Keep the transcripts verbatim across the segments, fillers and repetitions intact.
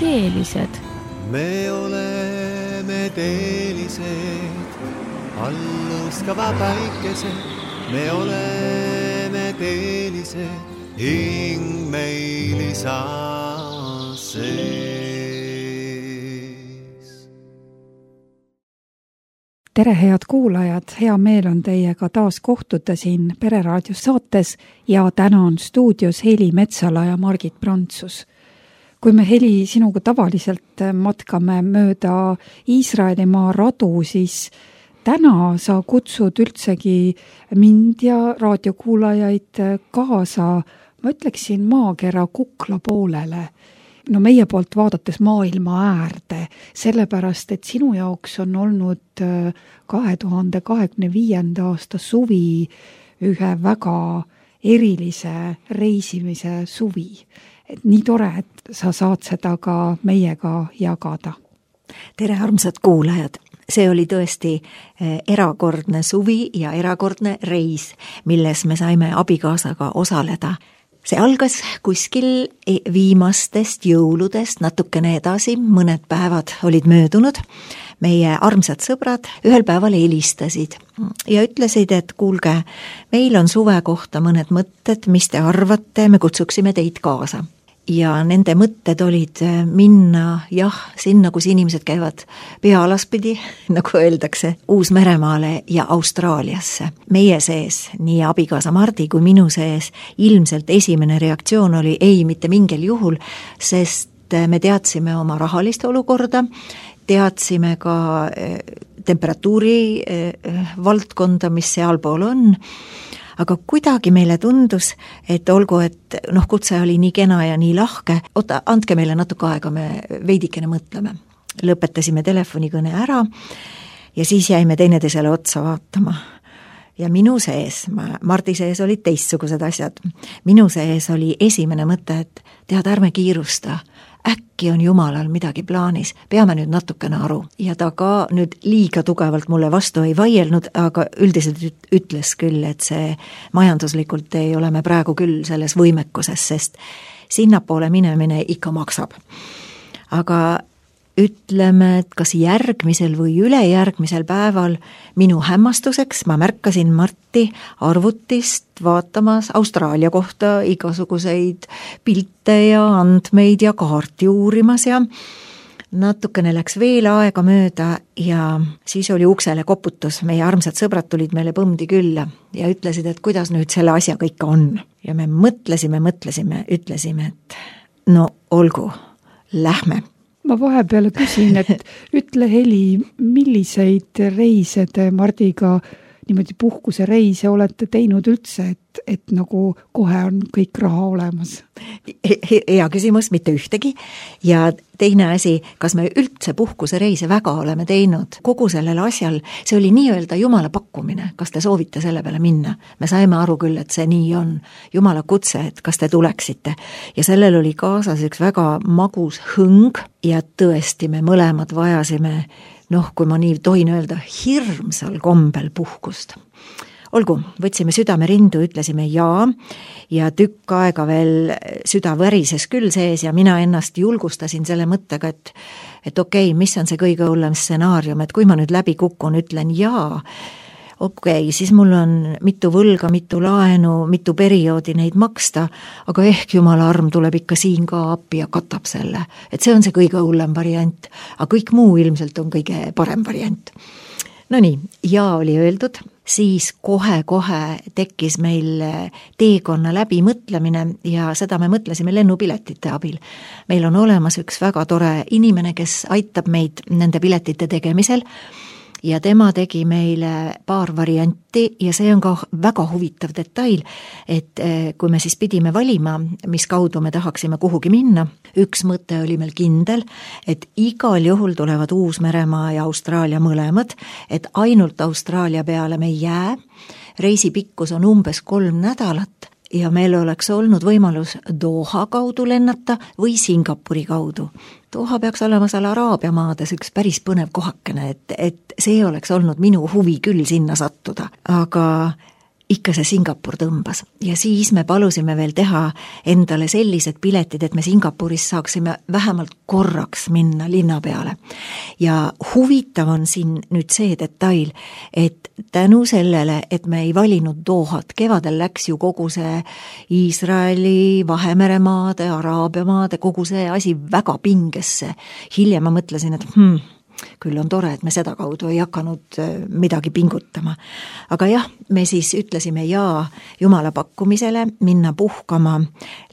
teelised. Me oleme teelised, alluskava päikesed. Me oleme teelised, hing meil isa sees. Tere, head kuulajad! Hea meel on teiega taas kohtuda siin Pereraadio saates ja täna on stuudios Heli Metsala ja Margit Prantsus. Kui me, Heli, sinuga tavaliselt matkame mööda Iisraelimaa radu, siis täna sa kutsud üldsegi mind ja raadiokuulajaid kaasa, ma ütleksin, maakera kukla poolele. No meie poolt vaadates maailma äärde, sellepärast, et sinu jaoks on olnud kahe tuhande kahekümne viienda aasta suvi ühe väga erilise reisimise suvi. Et nii tore, et sa saad seda ka meiega jagada. Tere, armsad kuulajad! See oli tõesti erakordne suvi ja erakordne reis, milles me saime abikaasaga osaleda. See algas kuskil viimastest jõuludest natukene edasi, mõned päevad olid möödunud. Meie armsad sõbrad ühel päeval helistasid ja ütlesid, et kuulge, meil on suve kohta mõned mõtted, mis te arvate, me kutsuksime teid kaasa. Ja nende mõtted olid minna, jah, sinna, kus inimesed käivad pea alaspidi, nagu öeldakse, Uus-Meremaale ja Austraaliasse. Meie sees, nii abikaasa Mardi kui minu sees, ilmselt esimene reaktsioon oli ei mitte mingil juhul, sest me teadsime oma rahalist olukorda, teadsime ka temperatuuri valdkonda, mis sealpool on, aga kuidagi meile tundus, et olgu, et noh, kutse oli nii kena ja nii lahke, oota, andke meile natuke aega, me veidikene mõtleme. Lõpetasime telefonikõne ära ja siis jäime teineteisele otsa vaatama. Ja minu sees, Mardi sees olid teistsugused asjad. Minu sees oli esimene mõte, et tead, ärme kiirusta. Äkki on Jumalal midagi plaanis, peame nüüd natukene aru. Ja ta ka nüüd liiga tugevalt mulle vastu ei vaielnud, aga üldiselt ütles küll, et see majanduslikult ei ole me praegu küll selles võimekuses, sest sinnapoole minemine ikka maksab. Aga ütleme, et kas järgmisel või ülejärgmisel päeval minu hämmastuseks ma märkasin Marti arvutist vaatamas Austraalia kohta igasuguseid pilte ja andmeid ja kaarti uurimas ja natukene läks veel aega mööda ja siis oli uksele koputus. Meie armsad sõbrad tulid meile põmdi külla ja ütlesid, et kuidas nüüd selle asjaga ikka on. Ja me mõtlesime, mõtlesime, ütlesime, et no olgu, lähme. Ma vahepeale küsin, et ütle, Heli, milliseid reise te Mardiga, niimoodi puhkuse reise olete teinud üldse, et, et nagu kohe on kõik raha olemas? Hea küsimus, mitte ühtegi. Ja teine asi, kas me üldse puhkuse reise väga oleme teinud? Kogu sellel asjal, see oli nii-öelda Jumala pakkumine, kas te soovite selle peale minna? Me saime aru küll, et see nii on. Jumala kutse, et kas te tuleksite. Ja sellel oli kaasas üks väga magus hõng ja tõesti me mõlemad vajasime, noh, kui ma nii tohin öelda, hirmsal kombel puhkust. Olgu, võtsime südame rindu, ütlesime jaa ja tükk aega veel süda värises küll sees ja mina ennast julgustasin selle mõttega, et, et okei, mis on see kõige hullem stsenaarium, et kui ma nüüd läbi kukun, ütlen jaa, okei, siis mul on mitu võlga, mitu laenu, mitu perioodi neid maksta, aga ehk Jumala arm tuleb ikka siin ka appi ja katab selle. Et see on see kõige hullem variant, aga kõik muu ilmselt on kõige parem variant. No nii, jaa oli öeldud, siis kohe-kohe tekkis meil teekonna läbi mõtlemine ja seda me mõtlesime lennupiletite abil. Meil on olemas üks väga tore inimene, kes aitab meid nende piletite tegemisel, ja tema tegi meile paar varianti ja see on ka väga huvitav detail, et kui me siis pidime valima, mis kaudu me tahaksime kuhugi minna, üks mõte oli meil kindel, et igal juhul tulevad Uus-Meremaa ja Austraalia mõlemad, et ainult Austraalia peale me ei jää, reisi pikkus on umbes kolm nädalat ja meil oleks olnud võimalus Doha kaudu lennata või Singapuri kaudu. Doha peaks olema seal Araabia maades üks päris põnev kohakene, et, et see oleks olnud minu huvi küll sinna sattuda. Aga ikka see Singapur tõmbas ja siis me palusime veel teha endale sellised piletid, et me Singapuris saaksime vähemalt korraks minna linna peale. Ja huvitav on siin nüüd see detail, et tänu sellele, et me ei valinud Dohat, kevadel läks ju kogu see Iisraeli, Vahemeremaade, Araabia maade, kogu see asi väga pingesse. Hiljem ma mõtlesin, et hmm, küll on tore, et me seda kaudu ei hakanud midagi pingutama. Aga jah, me siis ütlesime jaa Jumala pakkumisele minna puhkama,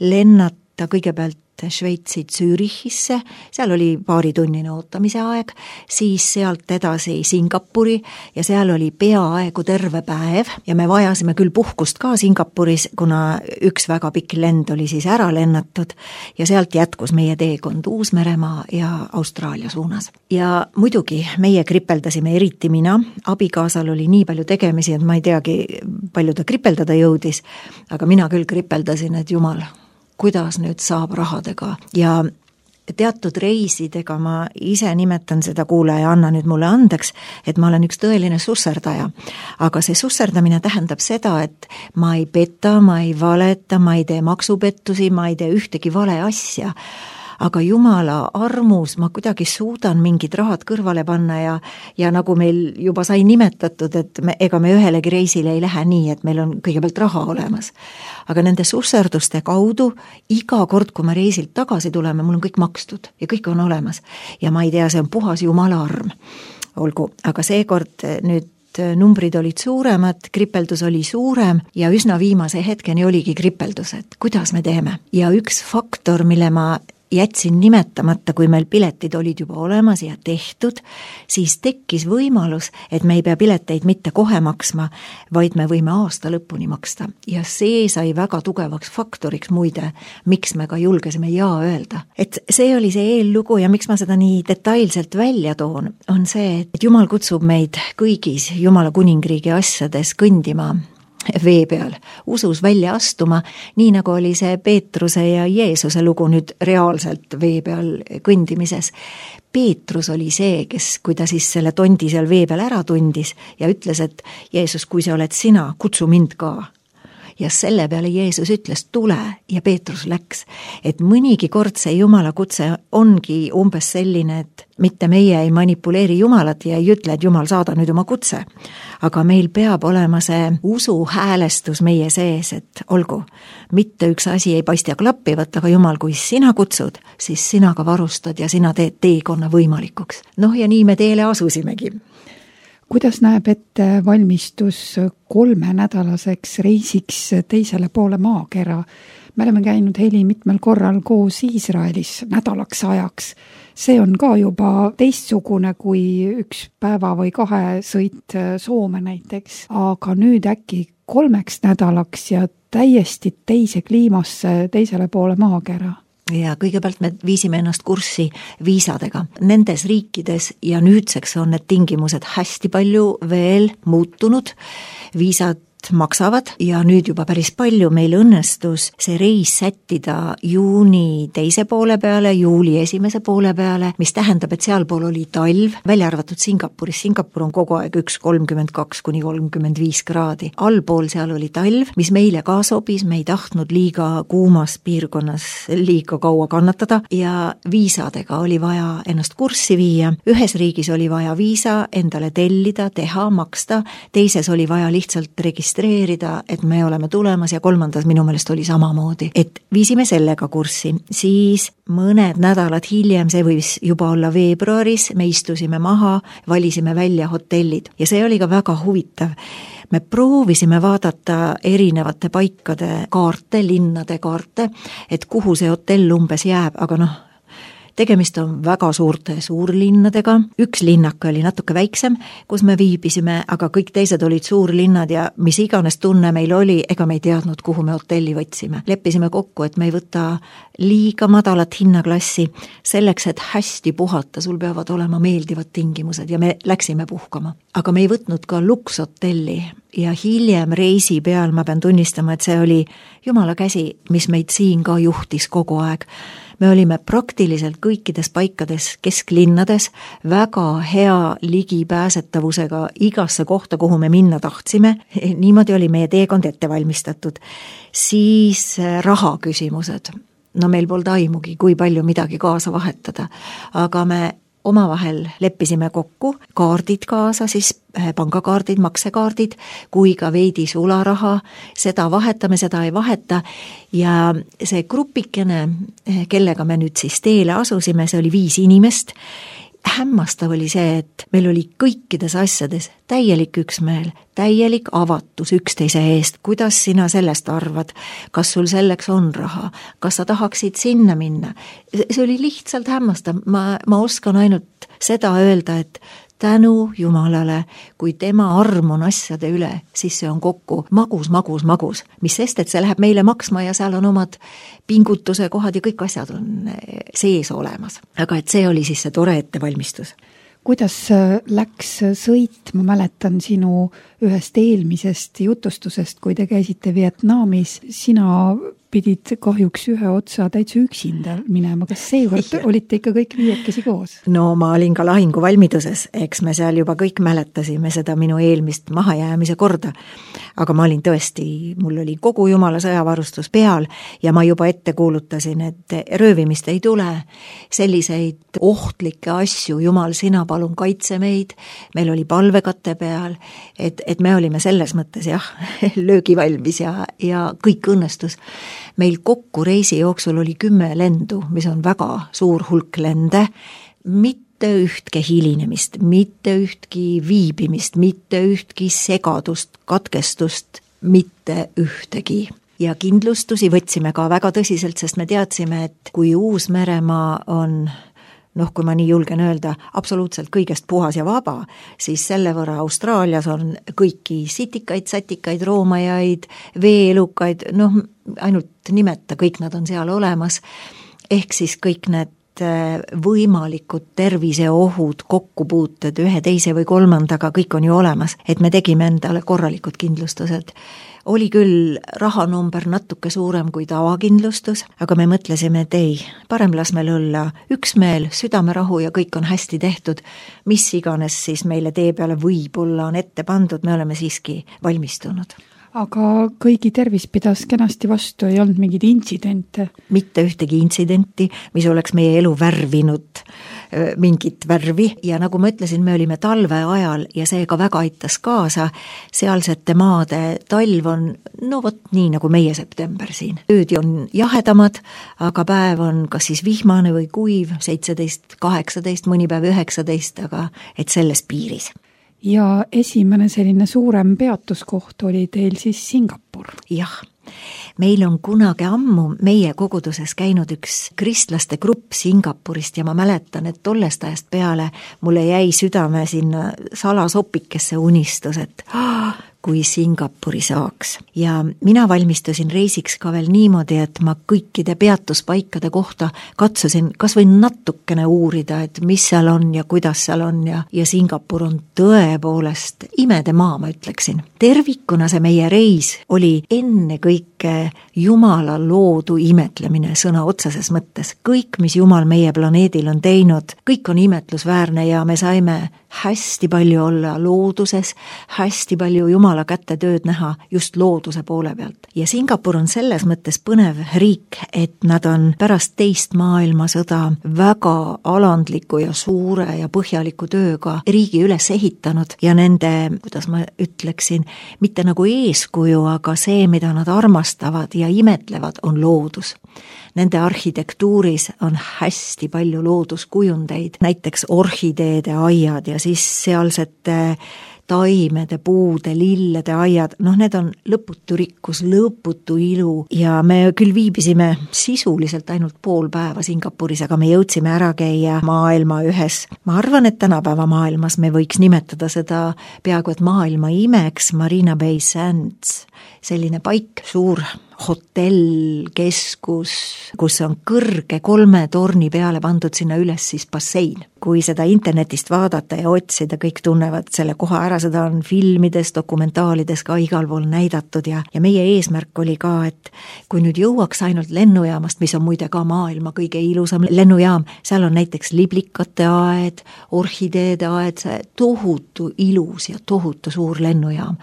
lennata kõigepealt Šveitsi Zürichisse, seal oli paaritunnine ootamise aeg, siis sealt edasi Singapuri ja seal oli peaaegu terve päev ja me vajasime küll puhkust ka Singapuris, kuna üks väga pikk lend oli siis ära lennatud ja sealt jätkus meie teekond Uus-Meremaa ja Austraalia suunas. Ja muidugi meie kripeldasime, eriti mina, abikaasal oli nii palju tegemisi, et ma ei teagi, palju ta kripeldada jõudis, aga mina küll kripeldasin, et Jumal, kuidas nüüd saab rahadega ja teatud reisidega ma ise nimetan seda kuulaja, anna nüüd mulle andeks, et ma olen üks tõeline susserdaja. Aga see susserdamine tähendab seda, et ma ei peta, ma ei valeta, ma ei tee maksupettusi, ma ei tee ühtegi vale asja. Aga Jumala armus ma kuidagi suudan mingid rahad kõrvale panna ja, ja nagu meil juba sai nimetatud, et me, ega me ühelegi reisile ei lähe nii, et meil on kõigepealt raha olemas. Aga nende susserduste kaudu iga kord, kui me reisilt tagasi tuleme, mul on kõik makstud ja kõik on olemas. Ja ma ei tea, see on puhas Jumala arm. Olgu, aga seekord nüüd numbrid olid suuremad, kripeldus oli suurem ja üsna viimase hetkeni oligi kripeldus, et kuidas me teeme. Ja üks faktor, mille ma jätsin nimetamata, kui meil piletid olid juba olemas ja tehtud, siis tekkis võimalus, et me ei pea pileteid mitte kohe maksma, vaid me võime aasta lõpuni maksta. Ja see sai väga tugevaks faktoriks muide, miks me ka julgesime jaa öelda. Et see oli see eellugu ja miks ma seda nii detailselt välja toon, on see, et Jumal kutsub meid kõigis Jumala kuningriigi asjades kõndima vee peal, usus välja astuma, nii nagu oli see Peetruse ja Jeesuse lugu nüüd reaalselt vee peal kõndimises. Peetrus oli see, kes, kui ta siis selle tondi seal vee peal ära tundis ja ütles, et Jeesus, kui see oled sina, kutsu mind ka. Ja selle peale Jeesus ütles, tule ja Peetrus läks. Et mõnigi kord see Jumala kutse ongi umbes selline, et mitte meie ei manipuleeri Jumalat ja ei ütle, et Jumal saada nüüd oma kutse. Aga meil peab olema see usu häälestus meie sees, et olgu, mitte üks asi ei paista klappivat, aga Jumal, kui sina kutsud, siis sina ka varustad ja sina teed teekonna võimalikuks. Noh ja nii me teele asusimegi. Kuidas näeb ette valmistus kolmenädalaseks reisiks teisele poole maakera? Me oleme käinud Heli mitmel korral koos Iisraelis nädalaks ajaks. See on ka juba teistsugune kui üks päeva või kahe sõit Soome näiteks. Aga nüüd äkki kolmeks nädalaks ja täiesti teise kliimasse teisele poole maakera. Ja kõigepealt me viisime ennast kurssi viisadega. Nendes riikides ja nüüdseks on need tingimused hästi palju veel muutunud. Viisad maksavad ja nüüd juba päris palju meil õnnestus see reis sättida juuni teise poole peale, juuli esimese poole peale, mis tähendab, et sealpool oli talv, välja arvatud Singapuris. Singapur on kogu aeg üks kolmkümmend kaks kuni kolmkümmend viis kraadi. Allpool seal oli talv, mis meile ka sobis, me ei tahtnud liiga kuumas piirkonnas liiga kaua kannatada ja viisadega oli vaja ennast kurssi viia. Ühes riigis oli vaja viisa endale tellida, teha, maksta, teises oli vaja lihtsalt registreerida registreerida, et me oleme tulemas ja kolmandas minu meelest oli samamoodi. Et viisime sellega kurssi, siis mõned nädalad hiljem, see võis juba olla veebruaris, me istusime maha, valisime välja hotellid ja see oli ka väga huvitav. Me proovisime vaadata erinevate paikade kaarte, linnade kaarte, et kuhu see hotell umbes jääb, aga noh, tegemist on väga suurte suurlinnadega. Üks linnaka oli natuke väiksem, kus me viibisime, aga kõik teised olid suurlinnad ja mis iganes tunne meil oli, ega me ei teadnud, kuhu me hotelli võtsime. Leppisime kokku, et me ei võta liiga madalat hinnaklassi selleks, et hästi puhata, sul peavad olema meeldivad tingimused ja me läksime puhkama. Aga me ei võtnud ka lukshotelli, ja hiljem reisi peal ma pean tunnistama, et see oli Jumala käsi, mis meid siin ka juhtis kogu aeg. Me olime praktiliselt kõikides paikades kesklinnades väga hea ligipääsetavusega igasse kohta, kuhu me minna tahtsime. Niimoodi oli meie teekond ette valmistatud. Siis raha küsimused. No meil polnud aimugi, kui palju midagi kaasa vahetada, aga me omavahel leppisime kokku, kaardid kaasa, siis pangakaardid, maksekaardid, kui ka veidi sularaha, seda vahetame, seda ei vaheta ja see grupikene, kellega me nüüd siis teele asusime, see oli viis inimest. Hämmastav oli see, et meil oli kõikides asjades täielik üksmeel, täielik avatus üksteise eest. Kuidas sina sellest arvad? Kas sul selleks on raha? Kas sa tahaksid sinna minna? See oli lihtsalt hämmastav. Ma, ma oskan ainult seda öelda, et tänu Jumalale, kui tema arm on asjade üle, siis see on kokku magus, magus, magus. Mis sest, et see läheb meile maksma ja seal on omad pingutuse kohad ja kõik asjad on sees olemas. Aga et see oli siis see tore ettevalmistus. Kuidas läks sõit, ma mäletan sinu ühest eelmisest jutustusest, kui te käisite Vietnamis, sina pidid kahjuks ühe otsa täitsa üksinda minema. Kas seekord olite ikka kõik viiekesi koos? No ma olin ka lahingu valmiduses, eks me seal juba kõik mäletasime seda minu eelmist mahajäämise korda. Aga ma olin tõesti, mul oli kogu Jumala sõjavarustus peal ja ma juba ette kuulutasin, et röövimist ei tule. Selliseid ohtlikke asju, Jumal, sina palun kaitse meid. Meil oli palvekate peal, et, et me olime selles mõttes jah, löögivalmis ja, ja kõik õnnestus. Meil kokku reisi jooksul oli kümme lendu, mis on väga suur hulk lende, mitte ühtki hilinemist, mitte ühtki viibimist, mitte ühtki segadust, katkestust, mitte ühtegi. Ja kindlustusi võtsime ka väga tõsiselt, sest me teadsime, et kui Uus-Meremaa on, noh, kui ma nii julgen öelda, absoluutselt kõigest puhas ja vaba, siis selle võrra Austraalias on kõiki sitikaid, satikaid, roomajaid, veeelukaid, noh, ainult nimeta, kõik nad on seal olemas, ehk siis kõik need võimalikud terviseohud, kokkupuuted ühe, teise või kolmandaga, kõik on ju olemas, et me tegime endale korralikud kindlustused. Oli küll rahanumber natuke suurem kui tavakindlustus, aga me mõtlesime, et ei, parem las meil olla üksmeel, südamerahu ja kõik on hästi tehtud, mis iganes siis meile tee peale võib-olla on ette pandud, me oleme siiski valmistunud. Aga kõigi tervis pidas kenasti vastu, ei olnud mingid intsidente? Mitte ühtegi intsidenti, mis oleks meie elu värvinud mingit värvi ja nagu ma ütlesin, me olime talve ajal ja see ka väga aitas kaasa. Sealsete maade talv on, no vot nii nagu meie september siin. Öödi on jahedamad, aga päev on kas siis vihmane või kuiv, seitseteist, kaheksateist, mõni päev üheksateist, aga et selles piiris. Ja esimene selline suurem peatuskoht oli teil siis Singapur. Jah, meil on kunagi ammu meie koguduses käinud üks kristlaste grupp Singapurist ja ma mäletan, et tollest ajast peale mulle jäi südame sinna salasopikesse unistus, et ah, kui Singapuri saaks. Ja mina valmistusin reisiks ka veel niimoodi, et ma kõikide peatuspaikade kohta katsusin kas või natukene uurida, et mis seal on ja kuidas seal on ja, ja Singapur on tõepoolest imede maa, ma ütleksin. Tervikuna see meie reis oli enne kõike Jumala loodu imetlemine sõna otseses mõttes. Kõik, mis Jumal meie planeedil on teinud, kõik on imetlusväärne ja me saime hästi palju olla looduses, hästi palju Jumala kätte tööd näha just looduse poole pealt. Ja Singapur on selles mõttes põnev riik, et nad on pärast teist maailmasõda väga alandliku ja suure ja põhjaliku tööga riigi üles ehitanud ja nende, kuidas ma ütleksin, mitte nagu eeskuju, aga see, mida nad armastavad ja imetlevad, on loodus. Nende arhitektuuris on hästi palju looduskujundeid, näiteks orhideede aiad ja siis sealsete taimede, puude, lillede aiad, noh need on lõputu rikkus, lõputu ilu ja me küll viibisime sisuliselt ainult pool päeva Singapuris, aga me jõudsime ära käia maailma ühes. Ma arvan, et tänapäeva maailmas me võiks nimetada seda peaaegu et maailma imeks Marina Bay Sands, selline paik, suur hotellkeskus, kus on kõrge kolme torni peale pandud sinna üles siis bassein. Kui seda internetist vaadata ja otsida, kõik tunnevad selle koha ära, seda on filmides, dokumentaalides ka igal pool näidatud ja, ja meie eesmärk oli ka, et kui nüüd jõuaks ainult lennujaamast, mis on muide ka maailma kõige ilusam lennujaam, seal on näiteks liblikate aed, orhideede aed, see tohutu ilus ja tohutu suur lennujaam.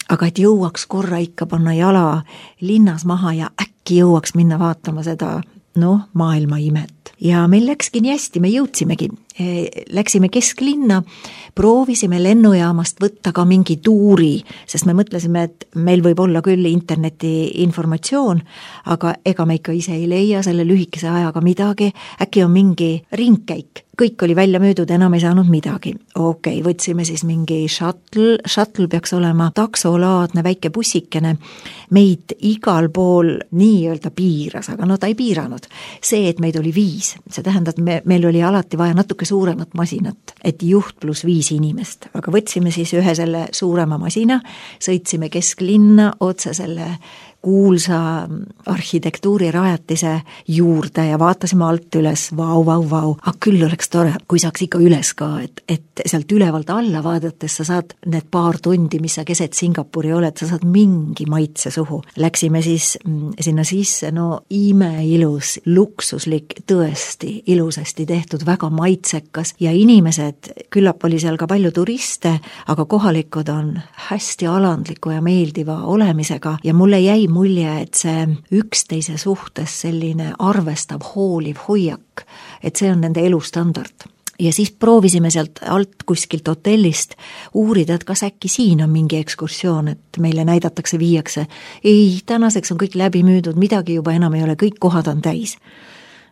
Aga et jõuaks korra ikka panna jala linnas maha ja äkki jõuaks minna vaatama seda, noh, maailma imet. Ja meil läkski nii hästi, me jõudsimegi. Läksime kesklinna, proovisime lennujaamast võtta ka mingi tuuri, sest me mõtlesime, et meil võib olla küll interneti informatsioon, aga ega me ikka ise ei leia selle lühikese ajaga midagi, äkki on mingi ringkäik. Kõik oli välja möödud, enam ei saanud midagi. Okei, võtsime siis mingi shuttle, shuttle peaks olema taksolaadne väike bussikene, meid igal pool nii-öelda piiras, aga no ta ei piiranud. See, et meid oli viis, see tähendab, et me, meil oli alati vaja natuke suuremat masinat, et juht pluss viis inimest, aga võtsime siis ühe selle suurema masina, sõitsime kesklinna otse selle kuulsa arhitektuurirajatise juurde ja vaatasime alt üles, vau, vau, vau, aga küll oleks tore, kui saaks ikka üles ka, et, et sealt ülevalt alla vaadates sa saad need paar tundi, mis sa keset Singapuri oled, sa saad mingi maitse suhu. Läksime siis sinna sisse, no imeilus, luksuslik, tõesti ilusasti tehtud, väga maitsekas ja inimesed, küllap oli seal ka palju turiste, aga kohalikud on hästi alandliku ja meeldiva olemisega ja mulle jäi mulje, et see üksteise suhtes selline arvestav, hooliv hoiak, et see on nende elustandard. Ja siis proovisime sealt alt kuskilt hotellist uurida, et kas äkki siin on mingi ekskursioon, et meile näidatakse, viiakse. Ei, tänaseks on kõik läbi müüdud, midagi juba enam ei ole, kõik kohad on täis.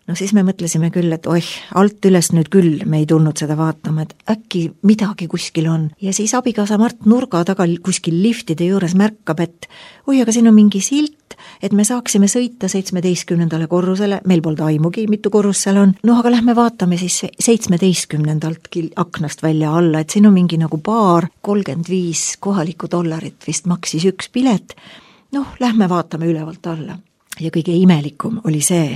No siis me mõtlesime küll, et oih, alt üles nüüd küll me ei tulnud seda vaatama, et äkki midagi kuskil on. Ja siis abikaasa Mart nurga taga kuskil liftide juures märkab, et oi, aga siin on mingi silt, et me saaksime sõita seitsmeteistkümnendale korrusele, meil polnud aimugi, mitu korrus seal on. No aga lähme vaatame siis seitsmeteistkümnendalt aknast välja alla, et siin on mingi nagu baar, kolmkümmend viis kohalikku dollarit vist maksis üks pilet. Noh, lähme vaatame ülevalt alla. Ja kõige imelikum oli see,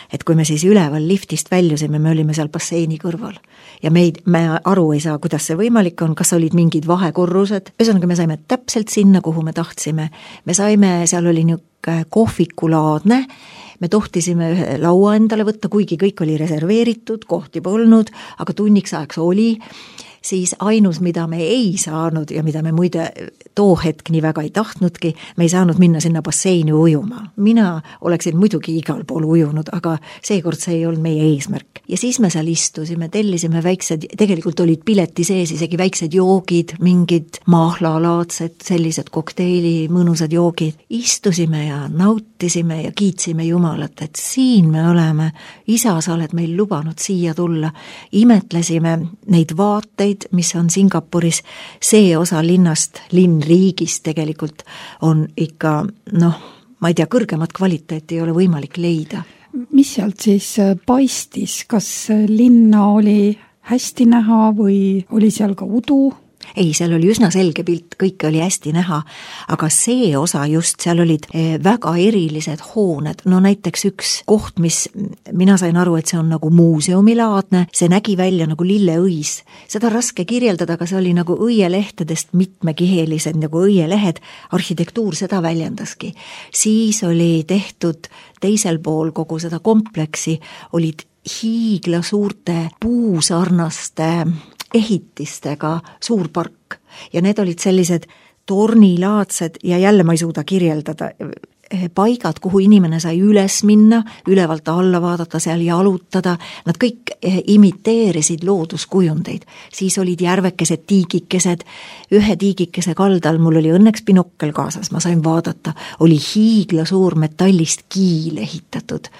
et kui me siis üleval liftist väljusime, me olime seal basseini kõrval ja me, ei, me aru ei saa, kuidas see võimalik on, kas olid mingid vahekorrused. Ühesõnaga me saime täpselt sinna, kuhu me tahtsime. Me saime, seal oli niisugune kohvikulaadne, me tohtisime ühe laua endale võtta, kuigi kõik oli reserveeritud, kohti polnud, aga tunniks ajaks oli. Siis ainus, mida me ei saanud ja mida me muide too hetk nii väga ei tahtnudki, me ei saanud minna sinna basseini ujuma. Mina oleksin muidugi igal pool ujunud, aga seekord see ei olnud meie eesmärk. Ja siis me seal istusime, tellisime väiksed, tegelikult olid pileti sees isegi väiksed joogid, mingid mahlalaadsed, sellised kokteili, mõnusad joogid. Istusime ja nautisime ja kiitsime Jumalat, et siin me oleme, isa, sa oled meil lubanud siia tulla. Imetlesime neid vaateid, mis on Singapuris, see osa linnast, linnriigist tegelikult on ikka, noh, ma ei tea, kõrgemat kvaliteeti ei ole võimalik leida. Mis sealt siis paistis? Kas linna oli hästi näha või oli seal ka udu? Ei, seal oli üsna selge pilt, kõike oli hästi näha, aga see osa just, seal olid väga erilised hooned, no näiteks üks koht, mis mina sain aru, et see on nagu muuseumilaadne, see nägi välja nagu lilleõis, seda raske kirjeldada, aga see oli nagu õielehtedest mitmekihelised nagu õielehed, arhitektuur seda väljendaski. Siis oli tehtud teisel pool kogu seda kompleksi, olid hiigla suurte puusarnaste ehitistega suur park ja need olid sellised tornilaadsed ja jälle ma ei suuda kirjeldada paigad, kuhu inimene sai üles minna, ülevalt alla vaadata, seal jalutada, nad kõik imiteerisid looduskujundeid. Siis olid järvekesed, tiigikesed, ühe tiigikese kaldal, mul oli õnneks binokkel kaasas, ma sain vaadata, oli hiigla suur metallist kiil ehitatud.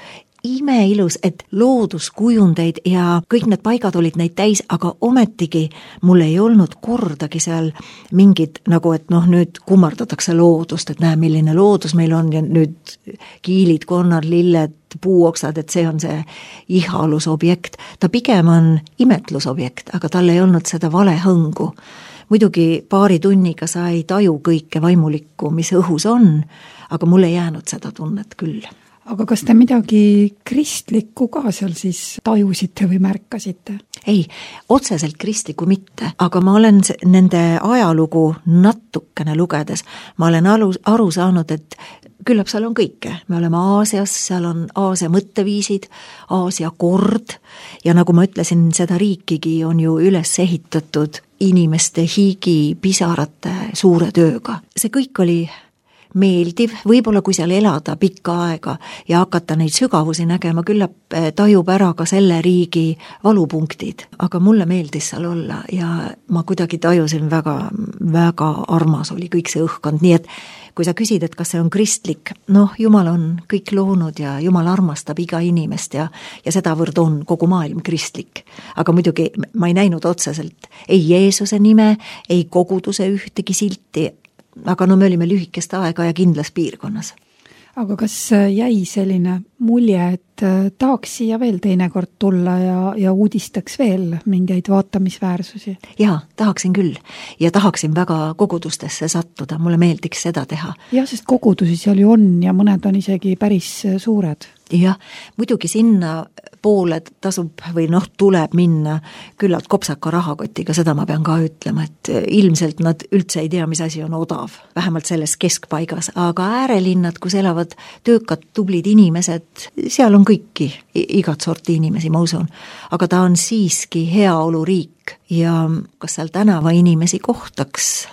Imeilus, et looduskujundeid ja kõik need paigad olid neid täis, aga ometigi mul ei olnud kordagi seal mingid, nagu et noh, nüüd kummardatakse loodust, et näe, milline loodus meil on ja nüüd kiilid, konnad, lilled, puuoksad, et see on see ihalusobjekt. Ta pigem on imetlusobjekt, aga tal ei olnud seda vale hõngu. muidugi paari tunniga sa ei taju kõike vaimulikku, mis õhus on, aga mul ei jäänud seda tunnet küll. Aga kas te midagi kristlikku ka seal siis tajusite või märkasite? Ei, otseselt kristlikku mitte, aga ma olen nende ajalugu natukene lugedes, ma olen aru, aru saanud, et küllap seal on kõike. Me oleme Aasias, seal on Aasia mõtteviisid, Aasia kord ja nagu ma ütlesin, seda riikigi on ju üles ehitatud inimeste higi pisarate suure tööga. See kõik oli meeldiv, võib-olla kui seal elada pikka aega ja hakata neid sügavusi nägema, küllap tajub ära ka selle riigi valupunktid, aga mulle meeldis seal olla ja ma kuidagi tajusin väga, väga armas oli kõik see õhkkond, nii et kui sa küsid, et kas see on kristlik, noh, Jumal on kõik loonud ja Jumal armastab iga inimest ja, ja sedavõrd on kogu maailm kristlik. Aga muidugi ma ei näinud otseselt ei Jeesuse nime, ei koguduse ühtegi silti, aga no me olime lühikest aega ja kindlas piirkonnas. Aga kas jäi selline mulje, et tahaks siia veel teinekord tulla ja, ja uudistaks veel mingeid vaatamisväärsusi? Jaa, tahaksin küll. Ja tahaksin väga kogudustesse sattuda. Mulle meeldiks seda teha. Jah, sest kogudusi seal ju on ja mõned on isegi päris suured. Jah, muidugi sinna poole tasub või noh, tuleb minna küllalt kopsaka rahakotiga, seda ma pean ka ütlema, et ilmselt nad üldse ei tea, mis asi on odav, vähemalt selles keskpaigas, aga äärelinnad, kus elavad töökad, tublid inimesed, seal on kõiki, igat sorti inimesi, ma usun, aga ta on siiski heaoluriik ja kas seal tänava inimesi kohtaks,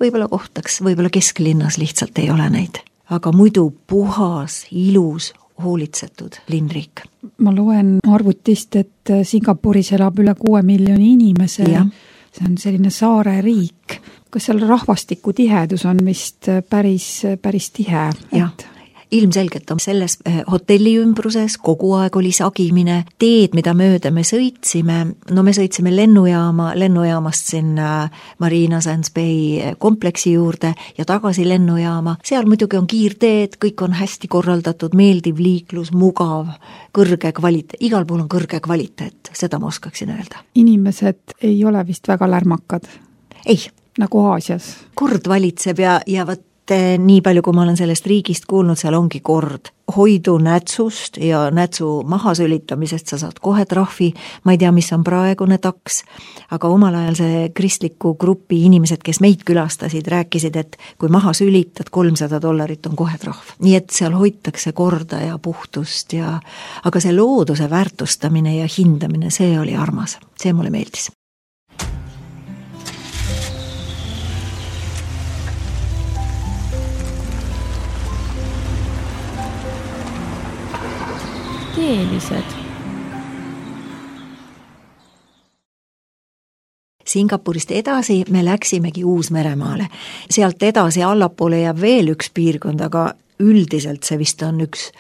võib-olla kohtaks, võib-olla kesklinnas lihtsalt ei ole neid, aga muidu puhas, ilus, hoolitsetud linnriik. Ma loen arvutist, et Singapuris elab üle kuue miljoni inimese. Ja. See on selline saare riik. Kas seal rahvastiku tihedus on vist päris, päris tihe? Jah. Et... ilmselgelt on selles hotelli ümbruses, kogu aeg oli sagimine, teed, mida mööda me sõitsime, no me sõitsime lennujaama, lennujaamast sinna Marina Sands Bay kompleksi juurde ja tagasi lennujaama, seal muidugi on kiirteed, kõik on hästi korraldatud, meeldiv liiklus, mugav, kõrge kvaliteet, igal pool on kõrge kvaliteet, seda ma oskaksin öelda. Inimesed ei ole vist väga lärmakad? Ei. Nagu Aasias? Kord valitseb ja, ja võt nii palju, kui ma olen sellest riigist kuulnud, seal ongi kord. Hoidu nätsust ja nätsu mahasülitamisest sa saad kohe trahvi, ma ei tea, mis on praegune taks, aga omal ajal see kristliku grupi inimesed, kes meid külastasid, rääkisid, et kui maha sülitad, kolmsada dollarit on kohe trahv. Nii et seal hoitakse korda ja puhtust ja, aga see looduse väärtustamine ja hindamine, see oli armas, see mulle meeldis. Teelised. Singapurist edasi me läksimegi Uus-Meremaale. Sealt edasi allapoole jääb veel üks piirkond, aga üldiselt see vist on üks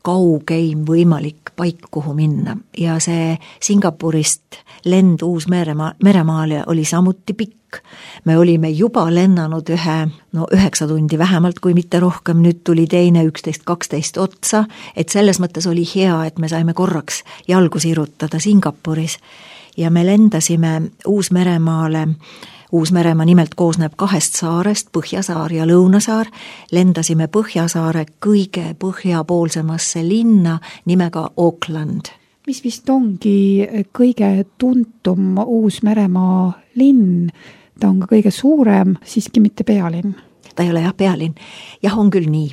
kaugeim võimalik paik, kuhu minna. Ja see Singapurist lend Uus-Meremaale oli samuti pikk. Me olime juba lennanud ühe, no üheksa tundi vähemalt, kui mitte rohkem, nüüd tuli teine üksteist kaksteist otsa, et selles mõttes oli hea, et me saime korraks jalgu sirutada Singapuris ja me lendasime Uus-Meremaale. Uus-Meremaa nimelt koosneb kahest saarest, Põhjasaar ja Lõunasaar. Lendasime Põhjasaare kõige põhjapoolsemasse linna nimega Auckland. Mis vist ongi kõige tuntum Uus-Meremaa linn? Ta on ka kõige suurem, siiski mitte pealinn. Ta ei ole jah pealinn. Jah, on küll nii.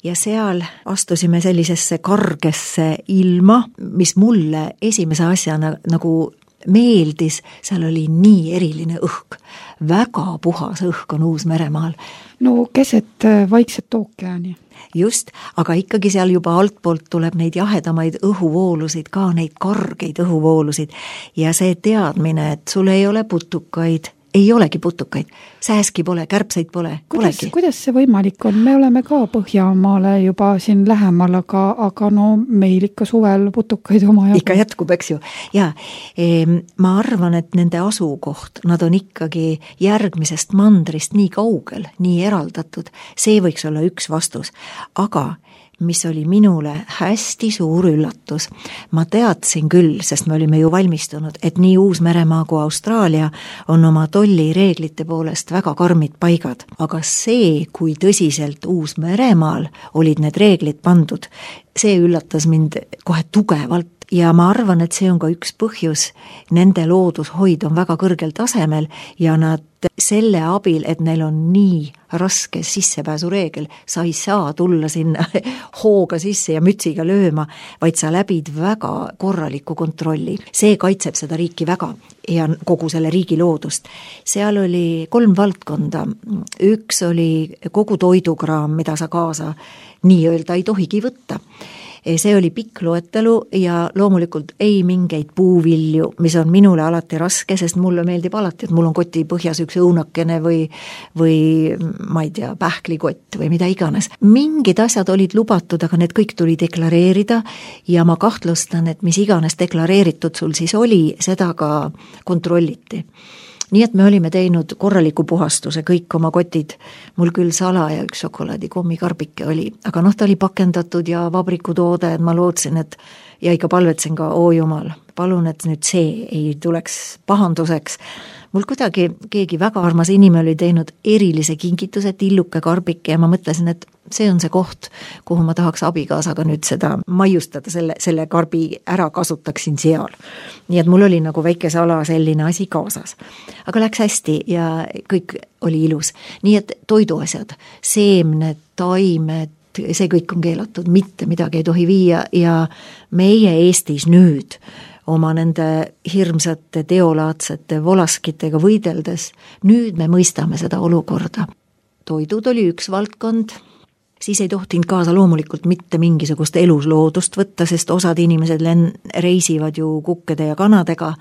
Ja seal astusime sellisesse kargesse ilma, mis mulle esimese asjana nagu meeldis, seal oli nii eriline õhk. Väga puhas õhk on Uus-Meremaal. No keset vaikset ookeani. Just, aga ikkagi seal juba altpoolt tuleb neid jahedamaid õhuvoolusid, ka neid kargeid õhuvoolusid ja see teadmine, et sul ei ole putukaid, ei olegi putukaid, sääski pole, kärpseid pole, kuidas, polegi. Kuidas see võimalik on? Me oleme ka Põhjamaale juba siin lähemal, aga, aga no meil ikka suvel putukaid oma jagu. Ikka jätkub, eks ju. Ja e, ma arvan, et nende asukoht, nad on ikkagi järgmisest mandrist nii kaugel, nii eraldatud, see võiks olla üks vastus. Aga mis oli minule hästi suur üllatus. Ma teadsin küll, sest me olime ju valmistunud, et nii Uus-Meremaa kui Austraalia on oma tollireeglite poolest väga karmid paigad. Aga see, kui tõsiselt Uus-Meremaal olid need reeglid pandud, see üllatas mind kohe tugevalt. Ja ma arvan, et see on ka üks põhjus, nende loodushoid on väga kõrgel tasemel ja nad selle abil, et neil on nii raske sissepääsureegel, sa ei saa tulla sinna hooga sisse ja mütsiga lööma, vaid sa läbid väga korraliku kontrolli. See kaitseb seda riiki väga ja kogu selle riigi loodust. Seal oli kolm valdkonda. Üks oli kogu toidukraam, mida sa kaasa nii-öelda ei tohigi võtta. See oli pikk loetelu ja loomulikult ei mingeid puuvilju, mis on minule alati raske, sest mulle meeldib alati, et mul on koti põhjas üks õunakene või, või ma ei tea, pähklikott või mida iganes. Mingid asjad olid lubatud, aga need kõik tuli deklareerida ja ma kahtlustan, et mis iganes deklareeritud sul siis oli, seda ka kontrolliti. Nii et me olime teinud korraliku puhastuse, kõik oma kotid, mul küll sala ja üks šokolaadi kommikarbike oli, aga noh, ta oli pakendatud ja vabrikutoode, et ma lootsin, et ja ikka palvetsin ka, oo jumal, palun, et nüüd see ei tuleks pahanduseks. Mul kuidagi keegi väga armas inimene oli teinud erilise kingituse, tilluke karbike ja ma mõtlesin, et see on see koht, kuhu ma tahaks abikaasaga nüüd seda maiustada, selle, selle karbi ära kasutaksin seal. Nii et mul oli nagu väike sala selline asi kaasas. Aga läks hästi ja kõik oli ilus. Nii et toiduasjad, seemned, taimed, see kõik on keelatud, mitte midagi ei tohi viia ja meie Eestis nüüd oma nende hirmsate teolaadsete volaskitega võideldes, nüüd me mõistame seda olukorda. Toidud oli üks valdkond, siis ei tohtinud kaasa loomulikult mitte mingisugust elusloodust võtta, sest osad inimesed len- reisivad ju kukkede ja kanadega.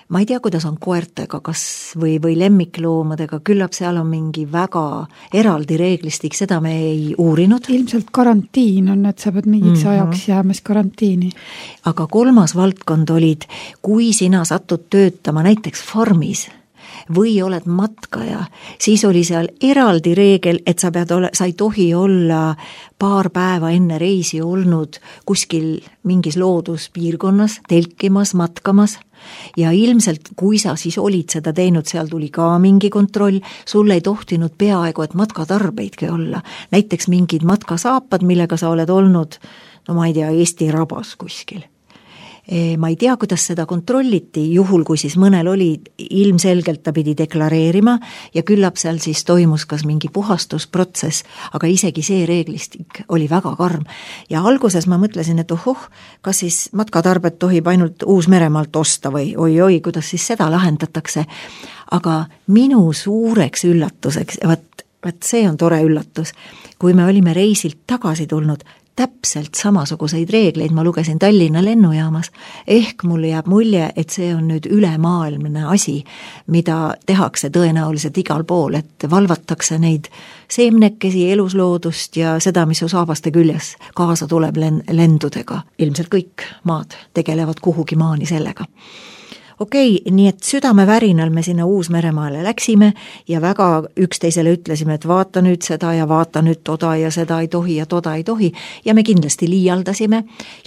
Ma ei tea, kuidas on koertega kas või, või lemmikloomadega, küllap seal on mingi väga eraldi reeglistik, seda me ei uurinud. Ilmselt karantiin on, et sa pead mingiks mm-hmm. ajaks jäämas karantiini. Aga kolmas valdkond olid, kui sina satud töötama näiteks farmis või oled matkaja, siis oli seal eraldi reegel, et sa pead ole, sa ei tohi olla paar päeva enne reisi olnud kuskil mingis looduspiirkonnas, telkimas, matkamas ja ilmselt, kui sa siis olid seda teinud, seal tuli ka mingi kontroll, sul ei tohtinud peaaegu, et matkatarbeidki olla. Näiteks mingid matkasaapad, millega sa oled olnud, no ma ei tea, Eesti rabas kuskil. Ma ei tea, kuidas seda kontrolliti, juhul kui siis mõnel oli, ilmselgelt ta pidi deklareerima ja küllap seal siis toimus kas mingi puhastusprotsess, aga isegi see reeglistik oli väga karm. Ja alguses ma mõtlesin, et ohoh, kas siis matkatarbet tohib ainult Uus-Meremaalt osta või oi-oi, kuidas siis seda lahendatakse. Aga minu suureks üllatuseks, vaat, vaat see on tore üllatus, kui me olime reisilt tagasi tulnud, täpselt samasuguseid reegleid ma lugesin Tallinna lennujaamas, ehk mulle jääb mulje, et see on nüüd ülemaailmne asi, mida tehakse tõenäoliselt igal pool, et valvatakse neid seemnekesi, elusloodust ja seda, mis su saabaste küljes kaasa tuleb lendudega. Ilmselt kõik maad tegelevad kuhugi maani sellega. Okei, nii et südamevärinal me sinna Uus-Meremaale läksime ja väga üksteisele ütlesime, et vaata nüüd seda ja vaata nüüd toda ja seda ei tohi ja toda ei tohi ja me kindlasti liialdasime.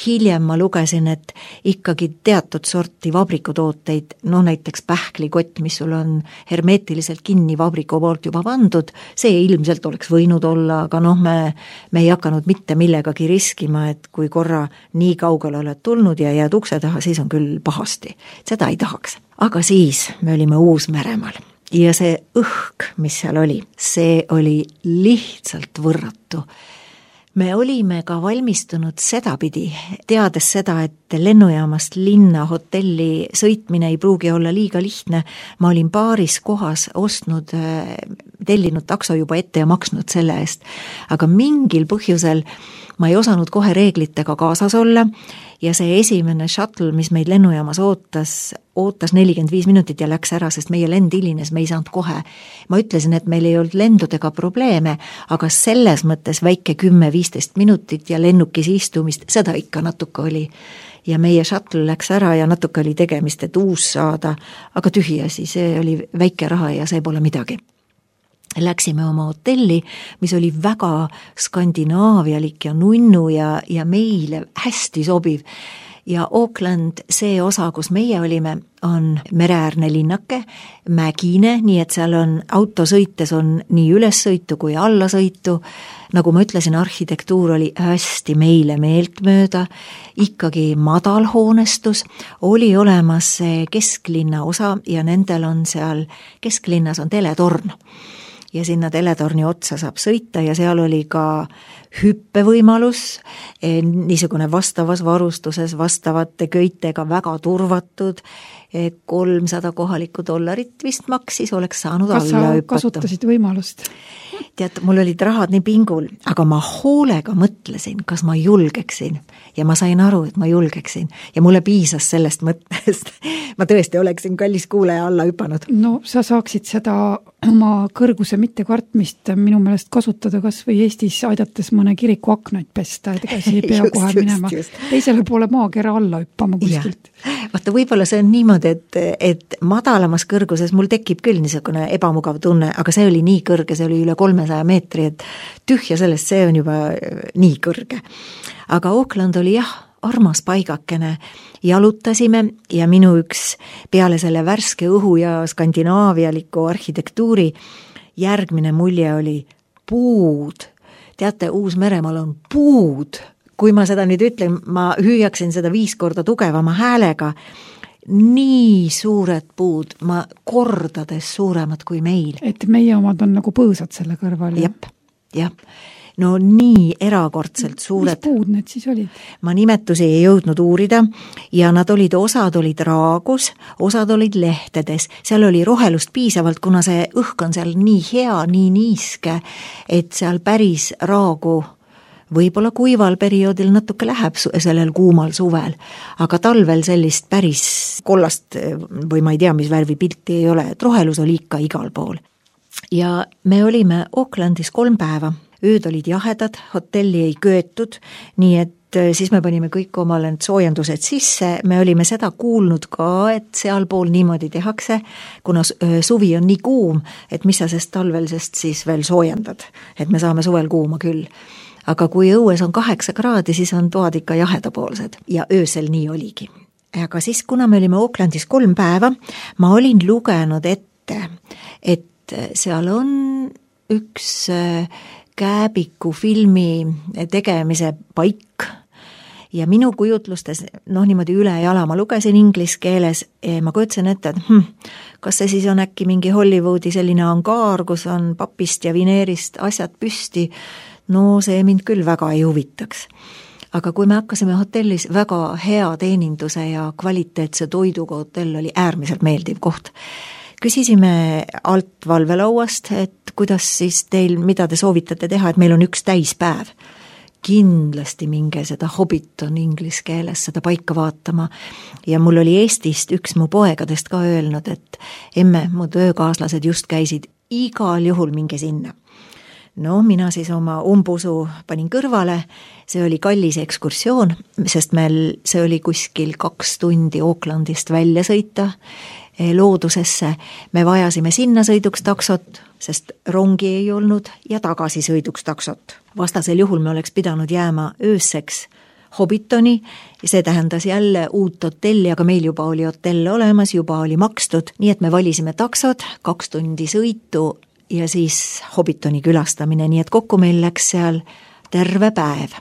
Hiljem ma lugesin, et ikkagi teatud sorti vabrikutooteid, no näiteks pähklikott, mis sul on hermeetiliselt kinni vabriku poolt juba pandud, see ilmselt oleks võinud olla, aga noh, me, me ei hakanud mitte millegagi riskima, et kui korra nii kaugele oled tulnud ja jääd ukse taha, siis on küll pahasti. Seda ei tahaks. Aga siis me olime Uus-Meremaal ja see õhk, mis seal oli, see oli lihtsalt võrratu. Me olime ka valmistunud sedapidi, teades seda, et lennujaamast linna hotelli sõitmine ei pruugi olla liiga lihtne. Ma olin paaris kohas ostnud, tellinud takso juba ette ja maksnud selle eest, aga mingil põhjusel ma ei osanud kohe reeglitega kaasas olla ja see esimene shuttle, mis meid lennujaamas ootas, ootas nelikümmend viis minutit ja läks ära, sest meie lend hilines, me ei saanud kohe. Ma ütlesin, et meil ei olnud lendudega probleeme, aga selles mõttes väike kümme viisteist minutit ja lennukis istumist, seda ikka natuke oli. Ja meie shuttle läks ära ja natuke oli tegemist, et uus saada, aga tühi asi, see oli väike raha ja see pole midagi. läksime oma hotelli, mis oli väga skandinaavialik ja nunnu ja, ja meile hästi sobiv. Ja Auckland, see osa, kus meie olime, on mereäärne linnake, mägine, nii et seal on autosõites on nii ülessõitu kui allasõitu. Nagu ma ütlesin, arhitektuur oli hästi meile meeltmööda, ikkagi madal hoonestus, oli olemas kesklinna osa ja nendel on seal, kesklinnas on teletorn. Ja sinna teletorni otsa saab sõita ja seal oli ka hüppevõimalus, niisugune vastavas varustuses, vastavate köitega väga turvatud, kolmsada kohalikku dollarit vist maksis, oleks saanud Kas alla hüpata. Kas sa kasutasid võimalust? Tead, mul olid rahad nii pingul, aga ma hoolega mõtlesin, kas ma julgeksin ja ma sain aru, et ma julgeksin ja mulle piisas sellest mõttest. Ma tõesti oleksin kallis kuulaja alla hüpanud. No sa saaksid seda oma kõrguse mittekartmist minu meelest kasutada kas või Eestis aidates mõne kiriku aknaid pesta, et ega see ei pea kohe minema just. Teisele poole maakera alla hüppama kuskilt. Vaata, võib-olla see on niimoodi, et, et madalamas kõrguses mul tekib küll niisugune ebamugav tunne, aga see oli nii kõrge, see oli üle kolmesaja meetri, et tühja sellest, see on juba nii kõrge. Aga Auckland oli jah, armas paigakene, jalutasime ja minu üks peale selle värske õhu ja skandinaavialiku arhitektuuri järgmine mulje oli puud. Teate, Uus-Meremaal on puud. Kui ma seda nüüd ütlen, ma hüüaksin seda viis korda tugevama häälega. Nii suured puud, ma kordades suuremad kui meil. Et meie omad on nagu põõsad selle kõrval. Jep, jah. No nii erakordselt suured. Mis puud need siis olid? Ma nimetusi ei jõudnud uurida ja nad olid, osad olid raagus, osad olid lehtedes. Seal oli rohelust piisavalt, kuna see õhk on seal nii hea, nii niiske, et seal päris raagu võib-olla kuival perioodil natuke läheb sellel kuumal suvel, aga talvel sellist päris kollast või ma ei tea, mis värvi pilti ei ole, et rohelus oli ikka igal pool. Ja me olime Aucklandis kolm päeva. Ööd olid jahedad, hotelli ei köetud, nii et siis me panime kõik omale soojendused sisse, me olime seda kuulnud ka, et sealpool niimoodi tehakse, kuna suvi on nii kuum, et mis sa sest talvel sest siis veel soojendad, et me saame suvel kuuma küll. Aga kui õues on kaheksa kraadi, siis on toad ikka jahedapoolsed ja öösel nii oligi. Aga siis, kuna me olime Aucklandis kolm päeva, ma olin lugenud ette, et seal on üks Kääbiku filmi tegemise paik ja minu kujutlustes, noh niimoodi üle jala, ma lugesin inglis keeles, ma kujutsen ette, et hm, kas see siis on äkki mingi Hollywoodi selline angaar, kus on papist ja vineerist asjad püsti, no see mind küll väga ei huvitaks. Aga kui me hakkasime hotellis, väga hea teeninduse ja kvaliteetse toiduga hotell oli äärmiselt meeldiv koht. Küsisime alt valvelauast, et kuidas siis teil, mida te soovitate teha, et meil on üks täispäev. Kindlasti minge seda Hobbiton inglis keeles seda paika vaatama. Ja mul oli Eestist üks mu poegadest ka öelnud, et emme, mu töökaaslased just käisid, igal juhul minge sinna. No mina siis oma umbusu panin kõrvale, see oli kallis ekskursioon, sest meil see oli kuskil kaks tundi Aucklandist välja sõita loodusesse. Me vajasime sinna sõiduks taksot, sest rongi ei olnud ja tagasi sõiduks taksot. Vastasel juhul me oleks pidanud jääma ööseks Hobbitoni, see tähendas jälle uut hotelli, aga meil juba oli hotell olemas, juba oli makstud, nii et me valisime taksot, kaks tundi sõitu ja siis Hobbitoni külastamine, nii et kokku meil läks seal terve päev.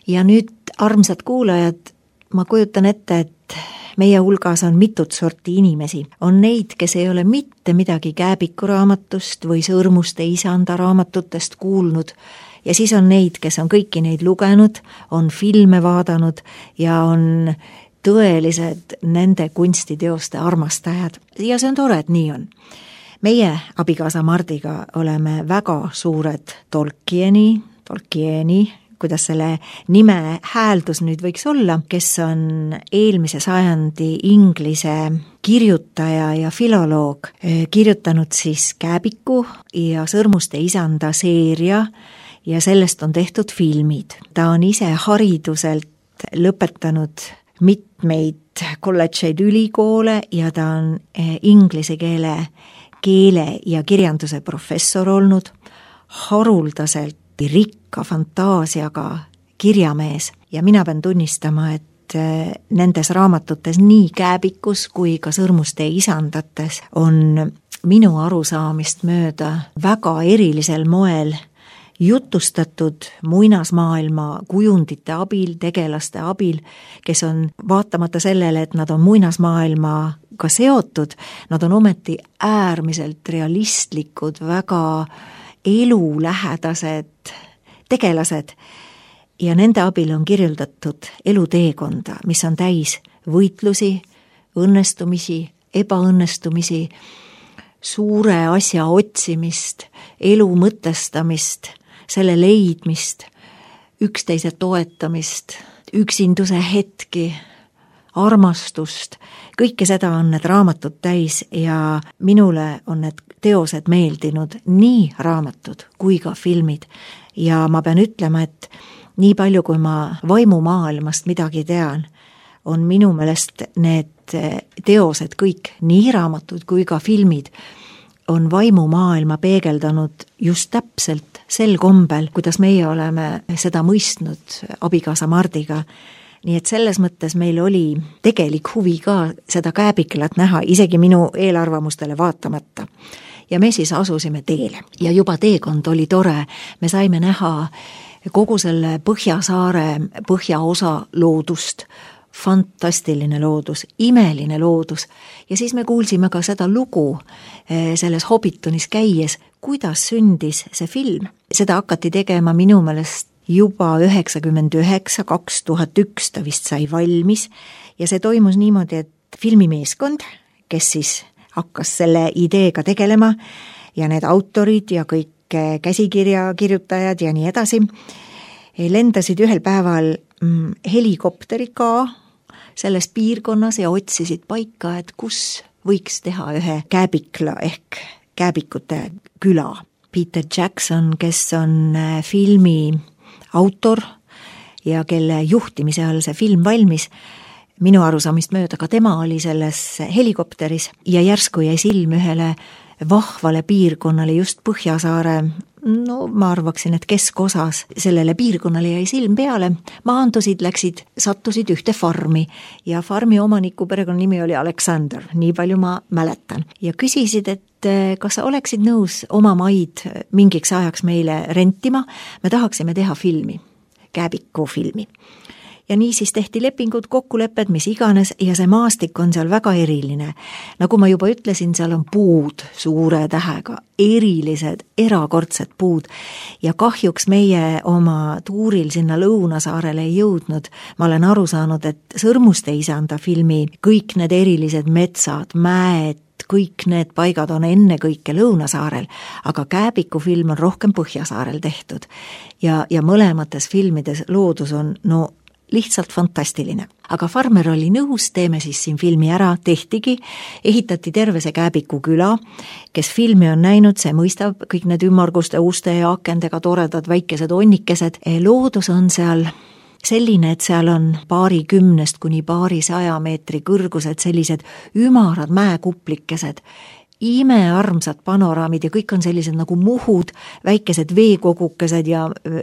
Ja nüüd, armsad kuulajad, ma kujutan ette, et meie hulgas on mitut sorti inimesi. On neid, kes ei ole mitte midagi Kääbiku raamatust või Sõrmuste isanda raamatutest kuulnud ja siis on neid, kes on kõiki neid lugenud, on filme vaadanud ja on tõelised nende kunstiteoste armastajad. Ja see on tore, et nii on. Meie abikaasa Mardiga oleme väga suured Tolkieni, Tolkieni, kuidas selle nime hääldus nüüd võiks olla, kes on eelmise sajandi inglise kirjutaja ja filoloog, kirjutanud siis Kääbiku ja Sõrmuste isanda seeria ja sellest on tehtud filmid. Ta on ise hariduselt lõpetanud mitmeid kolledžeid ülikoole ja ta on inglise keele keele ja kirjanduse professor olnud, haruldaselt rikka fantaasiaga kirjamees ja mina pean tunnistama, et nendes raamatutes nii Kääbikus kui ka Sõrmuste isandates on minu arusaamist mööda väga erilisel moel jutustatud muinasmaailma kujundite abil, tegelaste abil, kes on vaatamata sellele, et nad on muinasmaailmaga seotud, nad on ometi äärmiselt realistlikud, väga elulähedased tegelased ja nende abil on kirjeldatud eluteekonda, mis on täis võitlusi, õnnestumisi, ebaõnnestumisi, suure asja otsimist, elu mõtestamist, selle leidmist, üksteise toetamist, üksinduse hetki, armastust, kõike seda on need raamatud täis ja minule on need teosed meeldinud, nii raamatud kui ka filmid. Ja ma pean ütlema, et nii palju, kui ma vaimumaailmast midagi tean, on minu meelest need teosed kõik, nii raamatud kui ka filmid, on vaimumaailma peegeldanud just täpselt sel kombel, kuidas meie oleme seda mõistnud abikaasa Mardiga. Nii et selles mõttes meil oli tegelik huvi ka seda Kääbiklat näha, isegi minu eelarvamustele vaatamata. Ja me siis asusime teele ja juba teekond oli tore, me saime näha kogu selle Põhjasaare põhjaosa loodust, fantastiline loodus, imeline loodus ja siis me kuulsime ka seda lugu selles Hobbitonis käies, kuidas sündis see film. Seda hakati tegema minu meelest juba üheksakümmend üheksa, kaks tuhat üks ta vist sai valmis ja see toimus niimoodi, et filmimeeskond, kes siis hakkas selle ideega tegelema ja need autorid ja kõik käsikirja kirjutajad ja nii edasi, lendasid ühel päeval helikopteriga selles piirkonnas ja otsisid paika, et kus võiks teha ühe Kääbikla ehk Kääbikute küla. Peter Jackson, kes on filmi autor ja kelle juhtimise all see film valmis, minu arusaamist mööda ka tema oli selles helikopteris ja järsku jäi silm ühele vahvale piirkonnale just Põhjasaare, no ma arvaksin, et keskosas sellele piirkonnale jäi silm peale, maandusid, läksid, sattusid ühte farmi ja farmi omaniku perekonna nimi oli Alexander, nii palju ma mäletan. Ja küsisid, et kas sa oleksid nõus oma maid mingiks ajaks meile rentima, me tahaksime teha filmi, Kääbiku filmi. Ja nii siis tehti lepingud, kokkulepped, mis iganes ja see maastik on seal väga eriline. Nagu ma juba ütlesin, seal on puud suure tähega, erilised, erakordsed puud ja kahjuks meie oma tuuril sinna Lõunasaarele ei jõudnud. Ma olen aru saanud, et Sõrmuste isanda filmi kõik need erilised metsad, mäed, kõik need paigad on enne kõike Lõunasaarel, aga Kääbiku film on rohkem Põhjasaarel tehtud ja, ja mõlemates filmides loodus on no lihtsalt fantastiline. Aga farmer oli nõus, teeme siis siin filmi ära, tehtigi, ehitati terve see Kääbiku küla, kes filmi on näinud, see mõistab kõik need ümmarguste uste ja akendega toredad väikesed onnikesed. Loodus on seal selline, et seal on paari kümnest kuni paari saja meetri kõrgused, sellised ümarad mäekuplikesed, imearmsad panoraamid ja kõik on sellised nagu muhud, väikesed veekogukesed ja,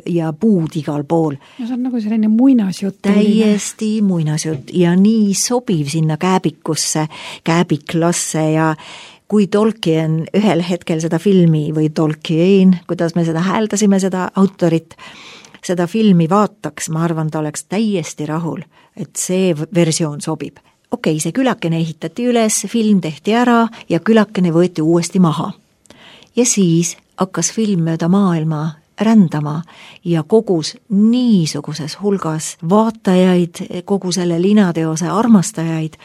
ja puud igal pool. No see on nagu selline muinasjutt. Täiesti muinasjutt ja nii sobiv sinna Kääbikusse, Kääbiklasse ja kui Tolkien ühel hetkel seda filmi või Tolkien, kuidas me seda hääldasime, seda autorit, seda filmi vaataks, ma arvan, ta oleks täiesti rahul, et see versioon sobib. Okei, see külakene ehitati üles, film tehti ära ja külakene võeti uuesti maha. Ja siis hakkas film mööda maailma rändama ja kogus niisuguses hulgas vaatajaid, kogu selle linateose armastajaid,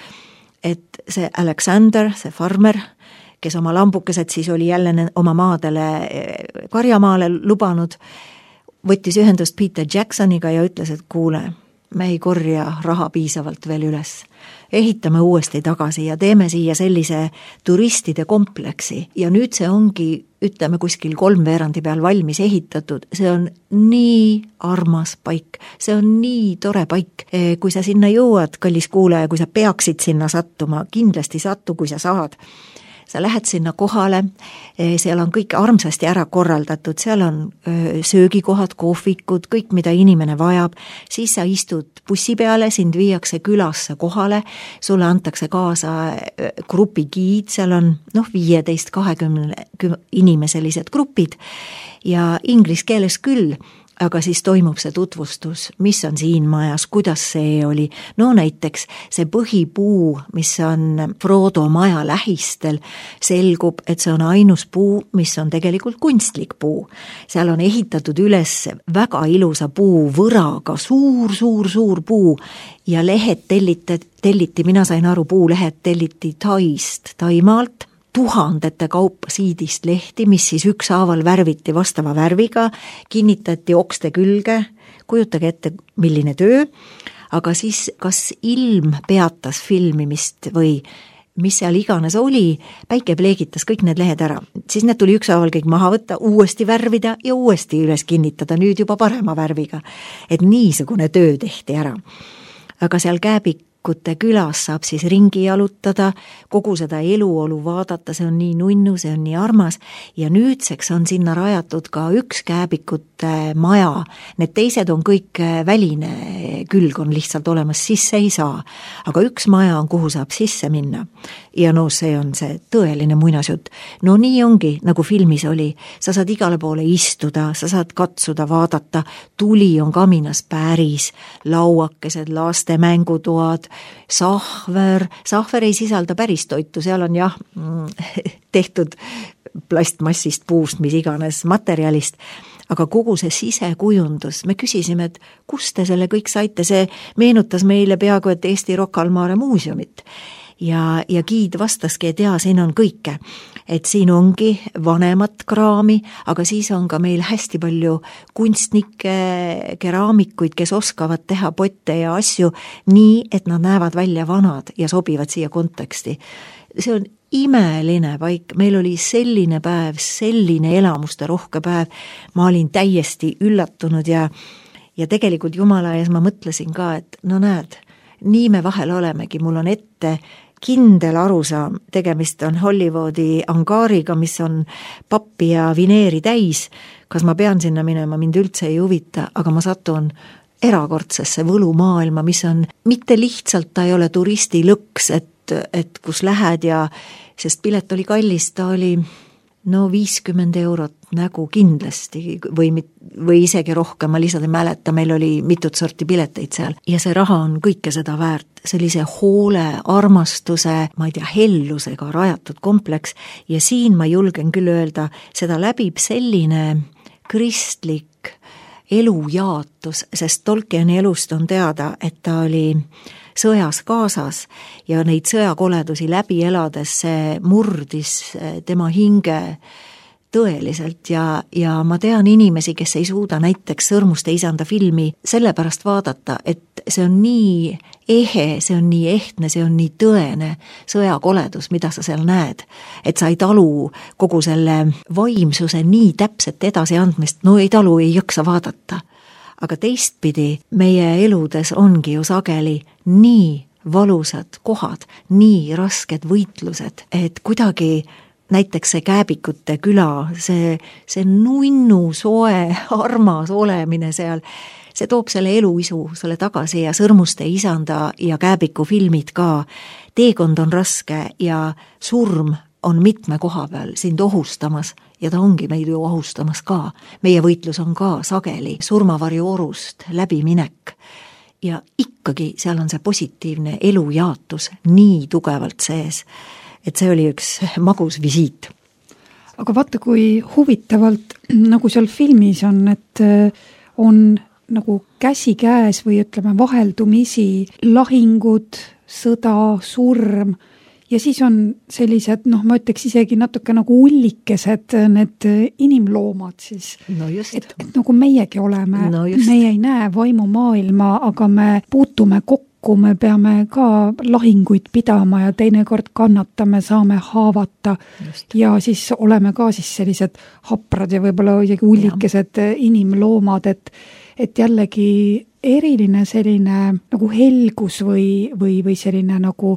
et see Alexander, see farmer, kes oma lambukesed siis oli jälle oma maadele karjamaale lubanud, võttis ühendust Peter Jacksoniga ja ütles, et kuule, me ei korja raha piisavalt veel üles. Ehitame uuesti tagasi ja teeme siia sellise turistide kompleksi. Ja nüüd see ongi, ütleme, kuskil kolmveerandi peal valmis ehitatud. See on nii armas paik. See on nii tore paik. Kui sa sinna jõuad, kallis kuulaja, kui sa peaksid sinna sattuma, kindlasti sattu, kui sa saad. sa lähed sinna kohale, seal on kõik armsasti ära korraldatud, seal on söögikohad, kohvikud, kõik, mida inimene vajab, siis sa istud bussi peale, sind viiakse külasse kohale, sulle antakse kaasa grupigiid, seal on noh, viieteist kahekümne inimeselised grupid ja inglise keeles küll, aga siis toimub see tutvustus, mis on siin majas, kuidas see oli. No näiteks see põhipuu, mis on Frodo maja lähistel, selgub, et see on ainus puu, mis on tegelikult kunstlik puu. Seal on ehitatud üles väga ilusa puu võraga, suur, suur, suur puu ja lehed telliti, telliti, mina sain aru, puulehed telliti Taist, Taimaalt, tuhandete kaupa siidist lehti, mis siis ükshaaval värviti vastava värviga, kinnitati okste külge, kujutage ette, milline töö, aga siis kas ilm peatas filmimist või mis seal iganes oli, päike pleegitas kõik need lehed ära. Siis need tuli ükshaaval kõik maha võtta, uuesti värvida ja uuesti üles kinnitada, nüüd juba parema värviga. Et niisugune töö tehti ära. Aga seal Kääbik külas saab siis ringi jalutada, kogu seda eluolu vaadata, see on nii nunnu, see on nii armas ja nüüdseks on sinna rajatud ka üks Kääbikute maja. Need teised on kõik väline, külg on lihtsalt olemas, sisse ei saa. Aga üks maja on, kuhu saab sisse minna. Ja no see on see tõeline muinasjutt. No nii ongi, nagu filmis oli. Sa saad igale poole istuda, sa saad katsuda, vaadata, tuli on kaminas päris, lauakesed, laste mängutoad, sahver, sahver ei sisalda päris toitu, seal on jah tehtud plastmassist, puust, mis iganes materjalist, aga kogu see sisekujundus, me küsisime, et kust te selle kõik saite, see meenutas meile peaaegu, et Eesti Rocca al Mare muuseumit. Ja, ja giid vastaski, et jaa, siin on kõike. Et siin ongi vanemat kraami, aga siis on ka meil hästi palju kunstnikke, keraamikuid, kes oskavad teha potte ja asju nii, et nad näevad välja vanad ja sobivad siia konteksti. See on imeline paik, meil oli selline päev, selline elamuste rohke päev, ma olin täiesti üllatunud ja, ja tegelikult Jumala ees ma mõtlesin ka, et no näed, nii me vahel olemegi, mul on ette kindel arusaam, tegemist on Hollywoodi angaariga, mis on pappi ja vineeri täis, kas ma pean sinna minema, mind üldse ei huvita, aga ma satun erakordsesse võlumaailma, mis on mitte lihtsalt, ta ei ole turisti lõks, et, et kus lähed ja, sest pilet oli kallis, ta oli no viiskümmend eurot nägu kindlasti või, või isegi rohkem, ma lihtsalt ei mäleta, meil oli mitut sorti pileteid seal ja see raha on kõike seda väärt, sellise hoole, armastuse, ma ei tea, hellusega rajatud kompleks ja siin ma julgen küll öelda, seda läbib selline kristlik elujaatus, sest Tolkieni elust on teada, et ta oli sõjas kaasas ja neid sõjakoledusi läbi elades see murdis tema hinge tõeliselt ja, ja ma tean inimesi, kes ei suuda näiteks Sõrmuste isanda filmi sellepärast vaadata, et see on nii ehe, see on nii ehtne, see on nii tõene sõjakoledus, mida sa seal näed, et sa ei talu kogu selle vaimsuse nii täpset edasiandmist, no ei talu, ei jaksa vaadata. Aga teistpidi meie eludes ongi ju sageli nii valusad kohad, nii rasked võitlused, et kuidagi näiteks see Kääbikute küla, see, see nunnu, soe, armas olemine seal, see toob selle eluisu sulle tagasi ja Sõrmuste isanda ja Kääbiku filmid ka. Teekond on raske ja surm on mitme koha peal sind ohustamas ja ta ongi meid ju ohustamas ka. Meie võitlus on ka sageli surmavarju orust läbiminek ja ikkagi seal on see positiivne elujaatus nii tugevalt sees, et see oli üks magus visiit. Aga vaata, kui huvitavalt nagu seal filmis on, et on nagu käsi käes või ütleme vaheldumisi lahingud, sõda, surm ja siis on sellised, noh, ma ütleks isegi natuke nagu ullikesed need inimloomad siis. No just. Et, et nagu meiegi oleme, no meie ei näe vaimumaailma, aga me puutume kokku, me peame ka lahinguid pidama ja teinekord kannatame, saame haavata just. Ja siis oleme ka siis sellised haprad ja võib-olla isegi ullikesed ja. Inimloomad, et, et jällegi eriline selline nagu helgus või, või, või selline nagu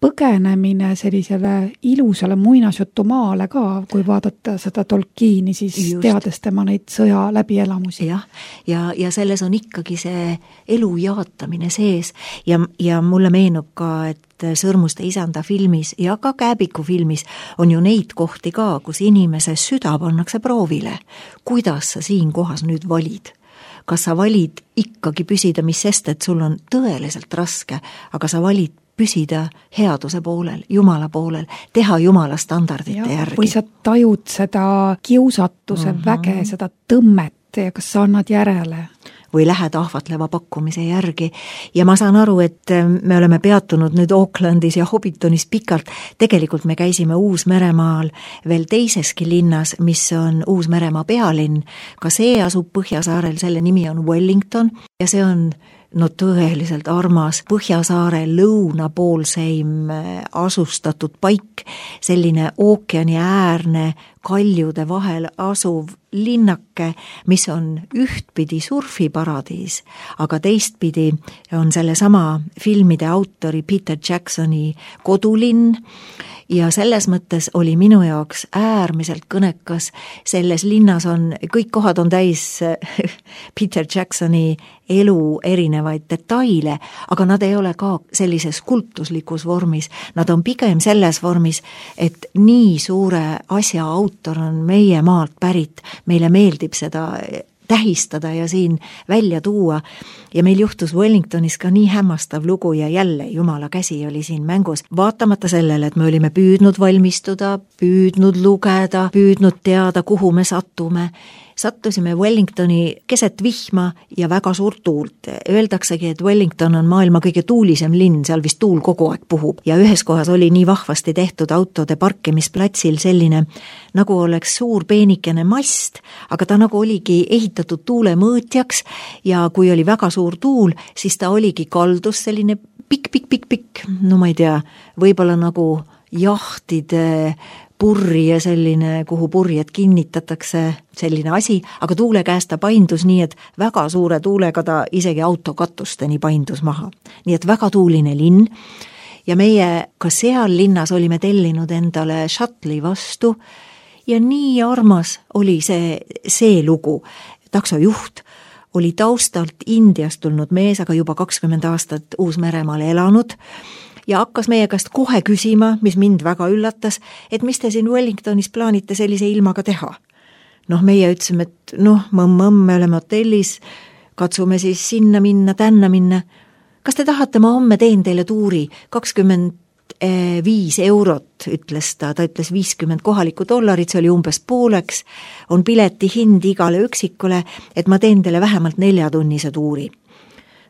põgenemine sellisele ilusale muinasjutumaale ka, kui vaadata seda Tolkieni, siis Just. teades tema neid sõja läbielamusi. jah, ja, ja selles on ikkagi see elu jaatamine sees ja, ja mulle meenub ka, et Sõrmuste isanda filmis ja ka Kääbiku filmis on ju neid kohti ka, kus inimese süda pannakse proovile. Kuidas sa siin kohas nüüd valid? Kas sa valid ikkagi püsida, mis sest, et sul on tõeliselt raske, aga sa valid püsida headuse poolel, Jumala poolel, teha Jumala standardite ja, järgi. Või sa tajud seda kiusatuse mm-hmm. väge, seda tõmmet ja kas sa annad järele? Või lähed ahvatleva pakkumise järgi. Ja ma saan aru, et me oleme peatunud nüüd Aucklandis ja Hobbitonis pikalt. Tegelikult me käisime Uus-Meremaal veel teiseski linnas, mis on Uus-Meremaa pealinn. Ka see asub Põhjasaarel, selle nimi on Wellington ja see on no tõeliselt armas Põhjasaare lõunapoolseim asustatud paik, selline ookeani äärne kaljude vahel asuv linnake, mis on ühtpidi surfiparadiis, aga teistpidi on selle sama filmide autori Peter Jacksoni kodulinn ja selles mõttes oli minu jaoks äärmiselt kõnekas. Selles linnas on, kõik kohad on täis Peter Jacksoni elu erinevaid detaile, aga nad ei ole ka sellises kultuslikus vormis. Nad on pigem selles vormis, et nii suure asja autor on meie maalt pärit. Meile meeldib seda tähistada ja siin välja tuua. Ja meil juhtus Wellingtonis ka nii hämmastav lugu ja jälle Jumala käsi oli siin mängus. Vaatamata sellele, et me olime püüdnud valmistuda, püüdnud lugeda, püüdnud teada, kuhu me sattume. Sattusime Wellingtoni keset vihma ja väga suurt tuult. Öeldaksegi, et Wellington on maailma kõige tuulisem linn, seal vist tuul kogu aeg puhub. Ja ühes kohas oli nii vahvasti tehtud autode parkimisplatsil selline, nagu oleks suur peenikene mast, aga ta nagu oligi ehitatud tuulemõõtjaks ja kui oli väga suur tuul, siis ta oligi kaldus selline pikk, pikk, pikk, pikk, no ma ei tea, võib-olla nagu jahtide purri ja selline, kuhu purjed kinnitatakse, selline asi, aga tuule käest ta paindus nii, et väga suure tuulega ta isegi autokatusteni paindus maha. Nii et väga tuuline linn ja meie ka seal linnas olime tellinud endale šatli vastu ja nii armas oli see, see lugu. Taksojuht oli taustalt Indiast tulnud mees, aga juba kakskümmend aastat Uus-Meremaal elanud ja hakkas meie käest kohe küsima, mis mind väga üllatas, et mis te siin Wellingtonis plaanite sellise ilmaga teha. Noh, meie ütlesime, et noh, mõmm-mõmm, me oleme hotellis, katsume siis sinna minna, tänna minna. Kas te tahate, ma homme teen teile tuuri, kakskümmend viis eurot, ütles ta, ta ütles viiskümmend kohalikku dollarit, see oli umbes pooleks, on pileti hind igale üksikule, et ma teen teile vähemalt neljatunnise tuuri.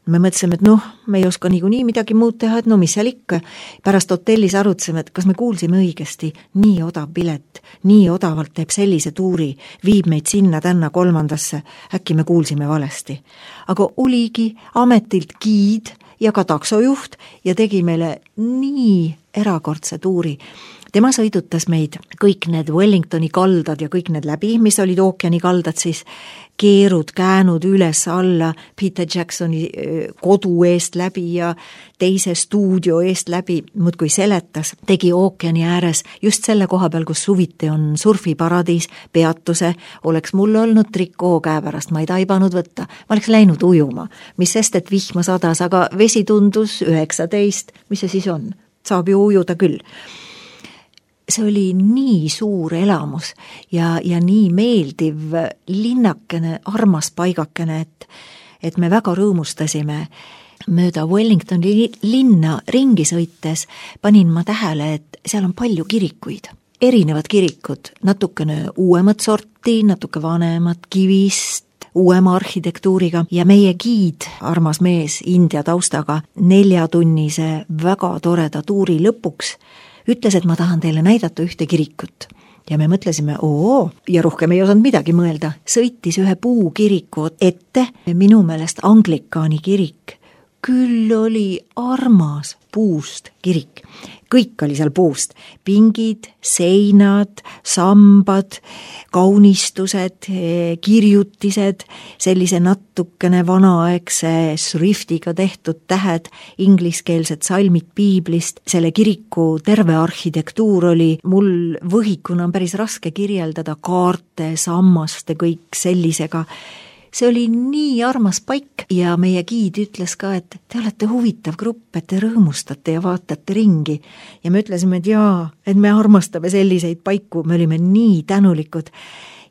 Me mõtlesime, et noh, me ei oska niikuinii midagi muud teha, et no mis seal ikka. Pärast hotellis arutseme, et kas me kuulsime õigesti, nii odav pilet, nii odavalt teeb sellise tuuri, viib meid sinna tänna kolmandasse, äkki me kuulsime valesti. Aga oligi ametilt giid ja ka taksojuht ja tegi meile nii erakordse tuuri. Tema sõidutas meid kõik need Wellingtoni kaldad ja kõik need läbi, mis olid ookeani kaldad siis, keerud, käänud üles alla Peter Jacksoni kodu eest läbi ja teise stuudio eest läbi, muudkui seletas, tegi ookeani ääres just selle koha peal, kus suviti on surfiparadiis, peatuse, oleks mul olnud trikoo käepärast, ma ei taibanud võtta, ma oleks läinud ujuma, mis sest, et vihma sadas, aga vesi tundus üheksateist, mis see siis on? Saab ju ujuda küll. See oli nii suur elamus ja, ja nii meeldiv linnakene, armas paigakene, et, et me väga rõõmustasime. Mööda Wellingtoni linna ringi sõites panin ma tähele, et seal on palju kirikuid. Erinevad kirikud, natukene uuemat sorti, natuke vanemat kivist, uuema arhitektuuriga ja meie giid, armas mees India taustaga, neljatunnise väga toreda tuuri lõpuks ütles, et ma tahan teile näidata ühte kirikut. Ja me mõtlesime, oo, ja rohkem ei osanud midagi mõelda. Sõitis ühe puukiriku ette, minu meelest Anglikaani kirik, küll oli armas puust kirik. Kõik oli seal puust. Pingid, seinad, sambad, kaunistused, kirjutised, sellise natukene vanaaegse šriftiga tehtud tähed, ingliskeelsed salmid piiblist. Selle kiriku terve arhitektuur oli mul võhikuna päris raske kirjeldada, kaarte, sammaste, kõik sellisega. See oli nii armas paik ja meie giid ütles ka, et te olete huvitav grupp, et te rõõmustate ja vaatate ringi. Ja me ütlesime, et jaa, et me armastame selliseid paiku, me olime nii tänulikud.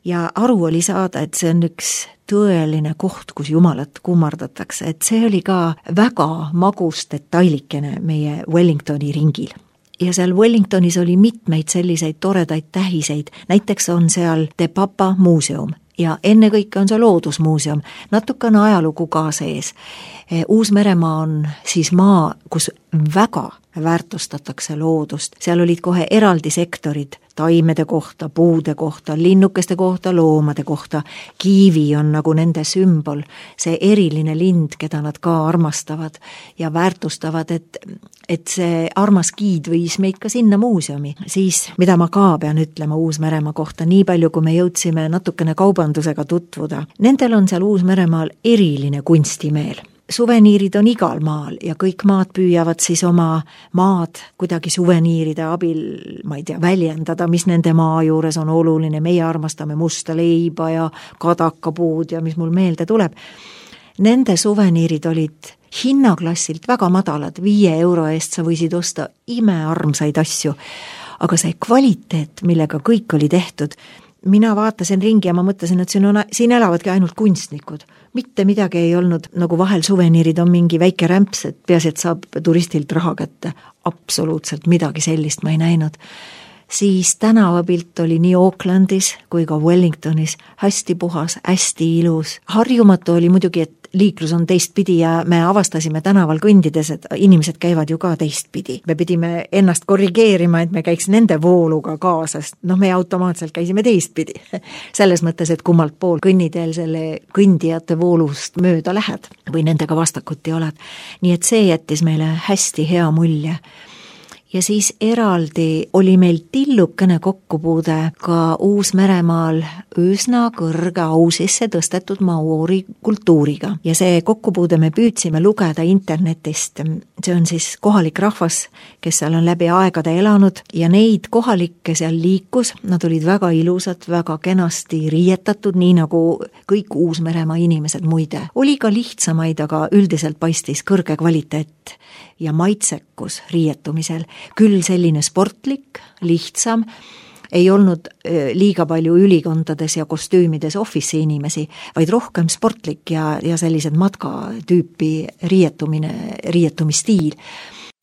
Ja aru oli saada, et see on üks tõeline koht, kus Jumalat kummardatakse, et see oli ka väga magus detailikene meie Wellingtoni ringil. Ja seal Wellingtonis oli mitmeid selliseid toredaid tähiseid, näiteks on seal The Papa muuseum. Ja enne kõike on see loodusmuuseum, natukene ajalugu ka sees. Uus-Meremaa on siis maa, kus väga väärtustatakse loodust. Seal olid kohe eraldi sektorid taimede kohta, puude kohta, linnukeste kohta, loomade kohta. Kiivi on nagu nende sümbol, see eriline lind, keda nad ka armastavad ja väärtustavad, et, et see armas giid viis meid ka sinna muuseumi. Siis, mida ma ka pean ütlema Uus-Meremaa kohta, nii palju kui me jõudsime natukene kaubandusega tutvuda. Nendel on seal Uus-Meremaal eriline kunstimeel. Suveniirid on igal maal ja kõik maad püüavad siis oma maad kuidagi suveniiride abil, ma ei tea, väljendada, mis nende maa juures on oluline. Meie armastame musta leiba ja kadakapuud ja mis mul meelde tuleb. Nende suveniirid olid hinnaklassilt väga madalad, viie euro eest sa võisid osta imearmsaid asju. Aga see kvaliteet, millega kõik oli tehtud, mina vaatasin ringi ja ma mõtlesin, et siin, on, siin elavadki ainult kunstnikud. Mitte midagi ei olnud, nagu vahel suveniirid on mingi väike rämps, et peasi, et saab turistilt raha kätte. Absoluutselt midagi sellist ma ei näinud. Siis tänavapilt oli nii Aucklandis kui ka Wellingtonis hästi puhas, hästi ilus. Harjumatu oli muidugi, et liiklus on teistpidi ja me avastasime tänaval kõndides, et inimesed käivad ju ka teistpidi. Me pidime ennast korrigeerima, et me käiks nende vooluga kaasas. Noh, me automaatselt käisime teistpidi. Selles mõttes, et kummalt pool kõnniteel selle kõndijate voolust mööda lähed või nendega vastakuti oled. Nii et see jättis meile hästi hea mulje. Ja siis eraldi oli meil tillukene kokkupuude ka Uus-Meremaal üsna kõrge au sisse tõstetud maori kultuuriga. Ja see kokkupuude me püüdsime lugeda internetist. See on siis kohalik rahvas, kes seal on läbi aegade elanud ja neid kohalikke seal liikus. Nad olid väga ilusad, väga kenasti riietatud, nii nagu kõik Uus-Meremaa inimesed muide. Oli ka lihtsamaid, aga üldiselt paistis kõrge kvaliteet ja maitsekus riietumisel. Küll selline sportlik, lihtsam, ei olnud liiga palju ülikondades ja kostüümides office inimesi, vaid rohkem sportlik ja, ja sellised matkatüüpi riietumine, riietumistiil.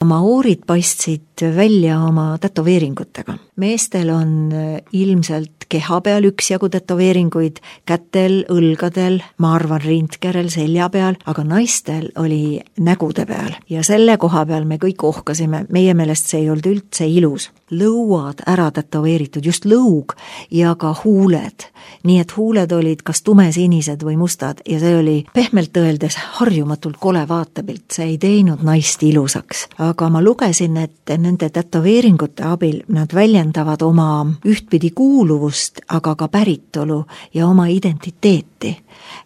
Maoorid paistsid välja oma tätoveeringutega. Meestel on ilmselt keha peal üksjagu tätoveeringuid, kätel, õlgadel, ma arvan rindkerel, selja peal, aga naistel oli nägude peal. Ja selle koha peal me kõik ohkasime, meie meelest see ei olnud üldse ilus. Lõuad ära tätoveeritud, just lõug ja ka huuled. Nii et huuled olid kas tumesinised või mustad ja see oli pehmelt öeldes harjumatult kole vaatepilt, see ei teinud naist ilusaks. Aga ma lugesin, et nende tätoveeringute abil nad väljendavad oma ühtpidi kuuluvust, aga ka päritolu ja oma identiteeti.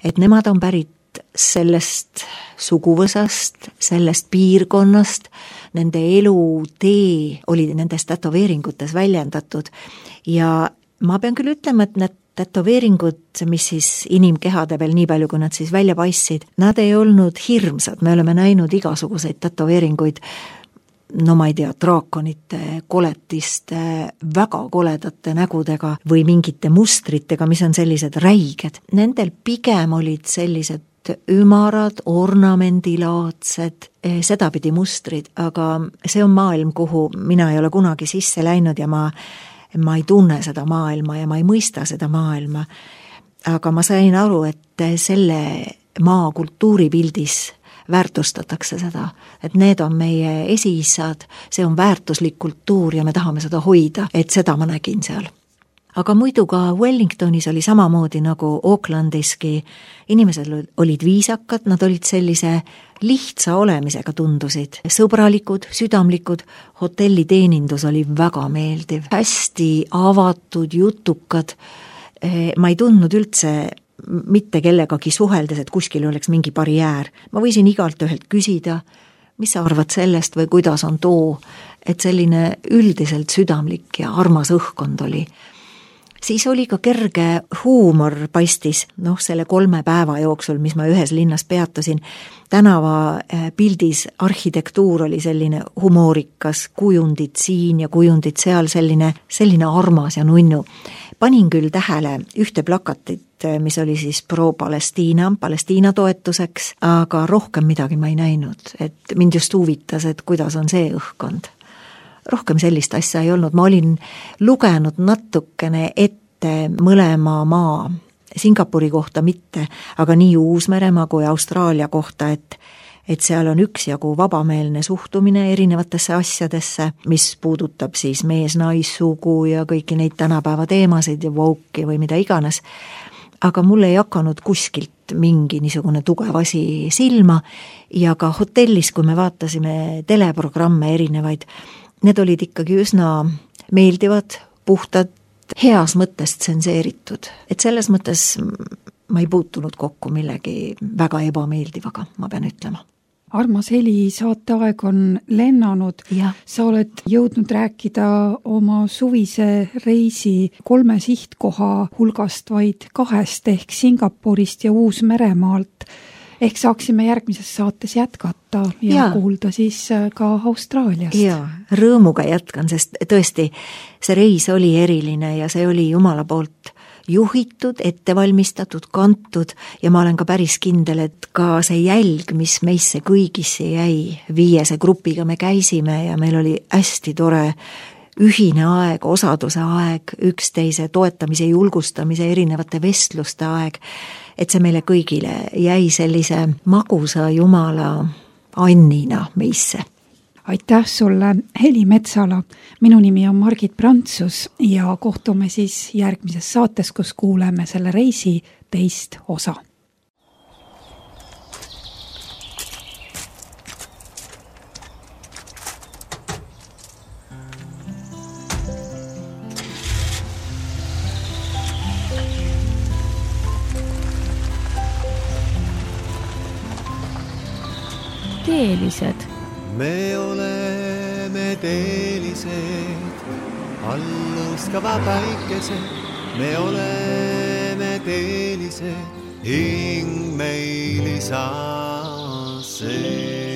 Et nemad on pärit sellest suguvõsast, sellest piirkonnast, nende elutee oli nendes tätoveeringutes väljendatud ja ma pean küll ütlema, et need tätoveeringud, mis siis inimkehade peal nii palju, kui nad siis välja paistsid, nad ei olnud hirmsad, me oleme näinud igasuguseid tätoveeringuid, no ma ei tea, draakonite, koletiste, väga koledate nägudega või mingite mustritega, mis on sellised räiged. Nendel pigem olid sellised ümarad, ornamendilaadsed, sedapidi mustrid, aga see on maailm, kuhu mina ei ole kunagi sisse läinud ja ma, ma ei tunne seda maailma ja ma ei mõista seda maailma. Aga ma sain aru, et selle maa kultuuripildis väärtustatakse seda, et need on meie esiisad, see on väärtuslik kultuur ja me tahame seda hoida, et seda ma nägin seal. aga muidu ka Wellingtonis oli samamoodi nagu Aucklandiski, inimesed olid viisakad, nad olid sellise lihtsa olemisega tundusid, sõbralikud, südamlikud, hotelliteenindus oli väga meeldiv, hästi avatud, jutukad, ma ei tundnud üldse mitte kellegagi suheldes, et kuskil oleks mingi barjäär. Ma võisin igalt ühelt küsida, mis sa arvad sellest või kuidas on too, et selline üldiselt südamlik ja armas õhkkond oli. Siis oli ka kerge huumor paistis, noh selle kolme päeva jooksul, mis ma ühes linnas peatusin. Tänava pildis arhitektuur oli selline humoorikas, kujundid siin ja kujundid seal, selline, selline armas ja nunnu. Panin küll tähele ühte plakatit, mis oli siis pro-Palestiina, Palestiina toetuseks, aga rohkem midagi ma ei näinud, et mind just huvitas, et kuidas on see õhkkond. Rohkem sellist asja ei olnud, ma olin lugenud natukene ette mõlema maa, Singapuri kohta mitte, aga nii Uus-Meremaa kui Austraalia kohta, et, et seal on üksjagu vabameelne suhtumine erinevatesse asjadesse, mis puudutab siis mees-naissugu ja kõiki neid tänapäeva teemasid ja woke'i või mida iganes, aga mul ei hakanud kuskilt mingi niisugune tugev asi silma ja ka hotellis, kui me vaatasime teleprogramme erinevaid, need olid ikkagi üsna meeldivad, puhtad, heas mõttes tsenseeritud. Et selles mõttes ma ei puutunud kokku millegi väga ebameeldivaga, ma pean ütlema. Armas Heli, saateaeg on lennanud. Ja. Sa oled jõudnud rääkida oma suvise reisi kolme sihtkoha hulgast vaid kahest ehk Singapurist ja Uus-Meremaalt. Ehk saaksime järgmises saates jätkata ja, ja kuulda siis ka Austraaliast. Ja, rõõmuga jätkan, sest tõesti see reis oli eriline ja see oli Jumala poolt juhitud, ettevalmistatud, kantud ja ma olen ka päris kindel, et ka see jälg, mis meisse kõigisse jäi, viiese grupiga me käisime ja meil oli hästi tore ühine aeg, osaduse aeg, üksteise toetamise, julgustamise, erinevate vestluste aeg, et see meile kõigile jäi sellise magusa Jumala annina meisse. Aitäh sulle, Heli Metsala. Minu nimi on Margit Prantsus ja kohtume siis järgmises saates, kus kuuleme selle reisi teist osa. Teelised. Me oleme teelised, alluskava päikesed. Me oleme teelised, hing meil isa see.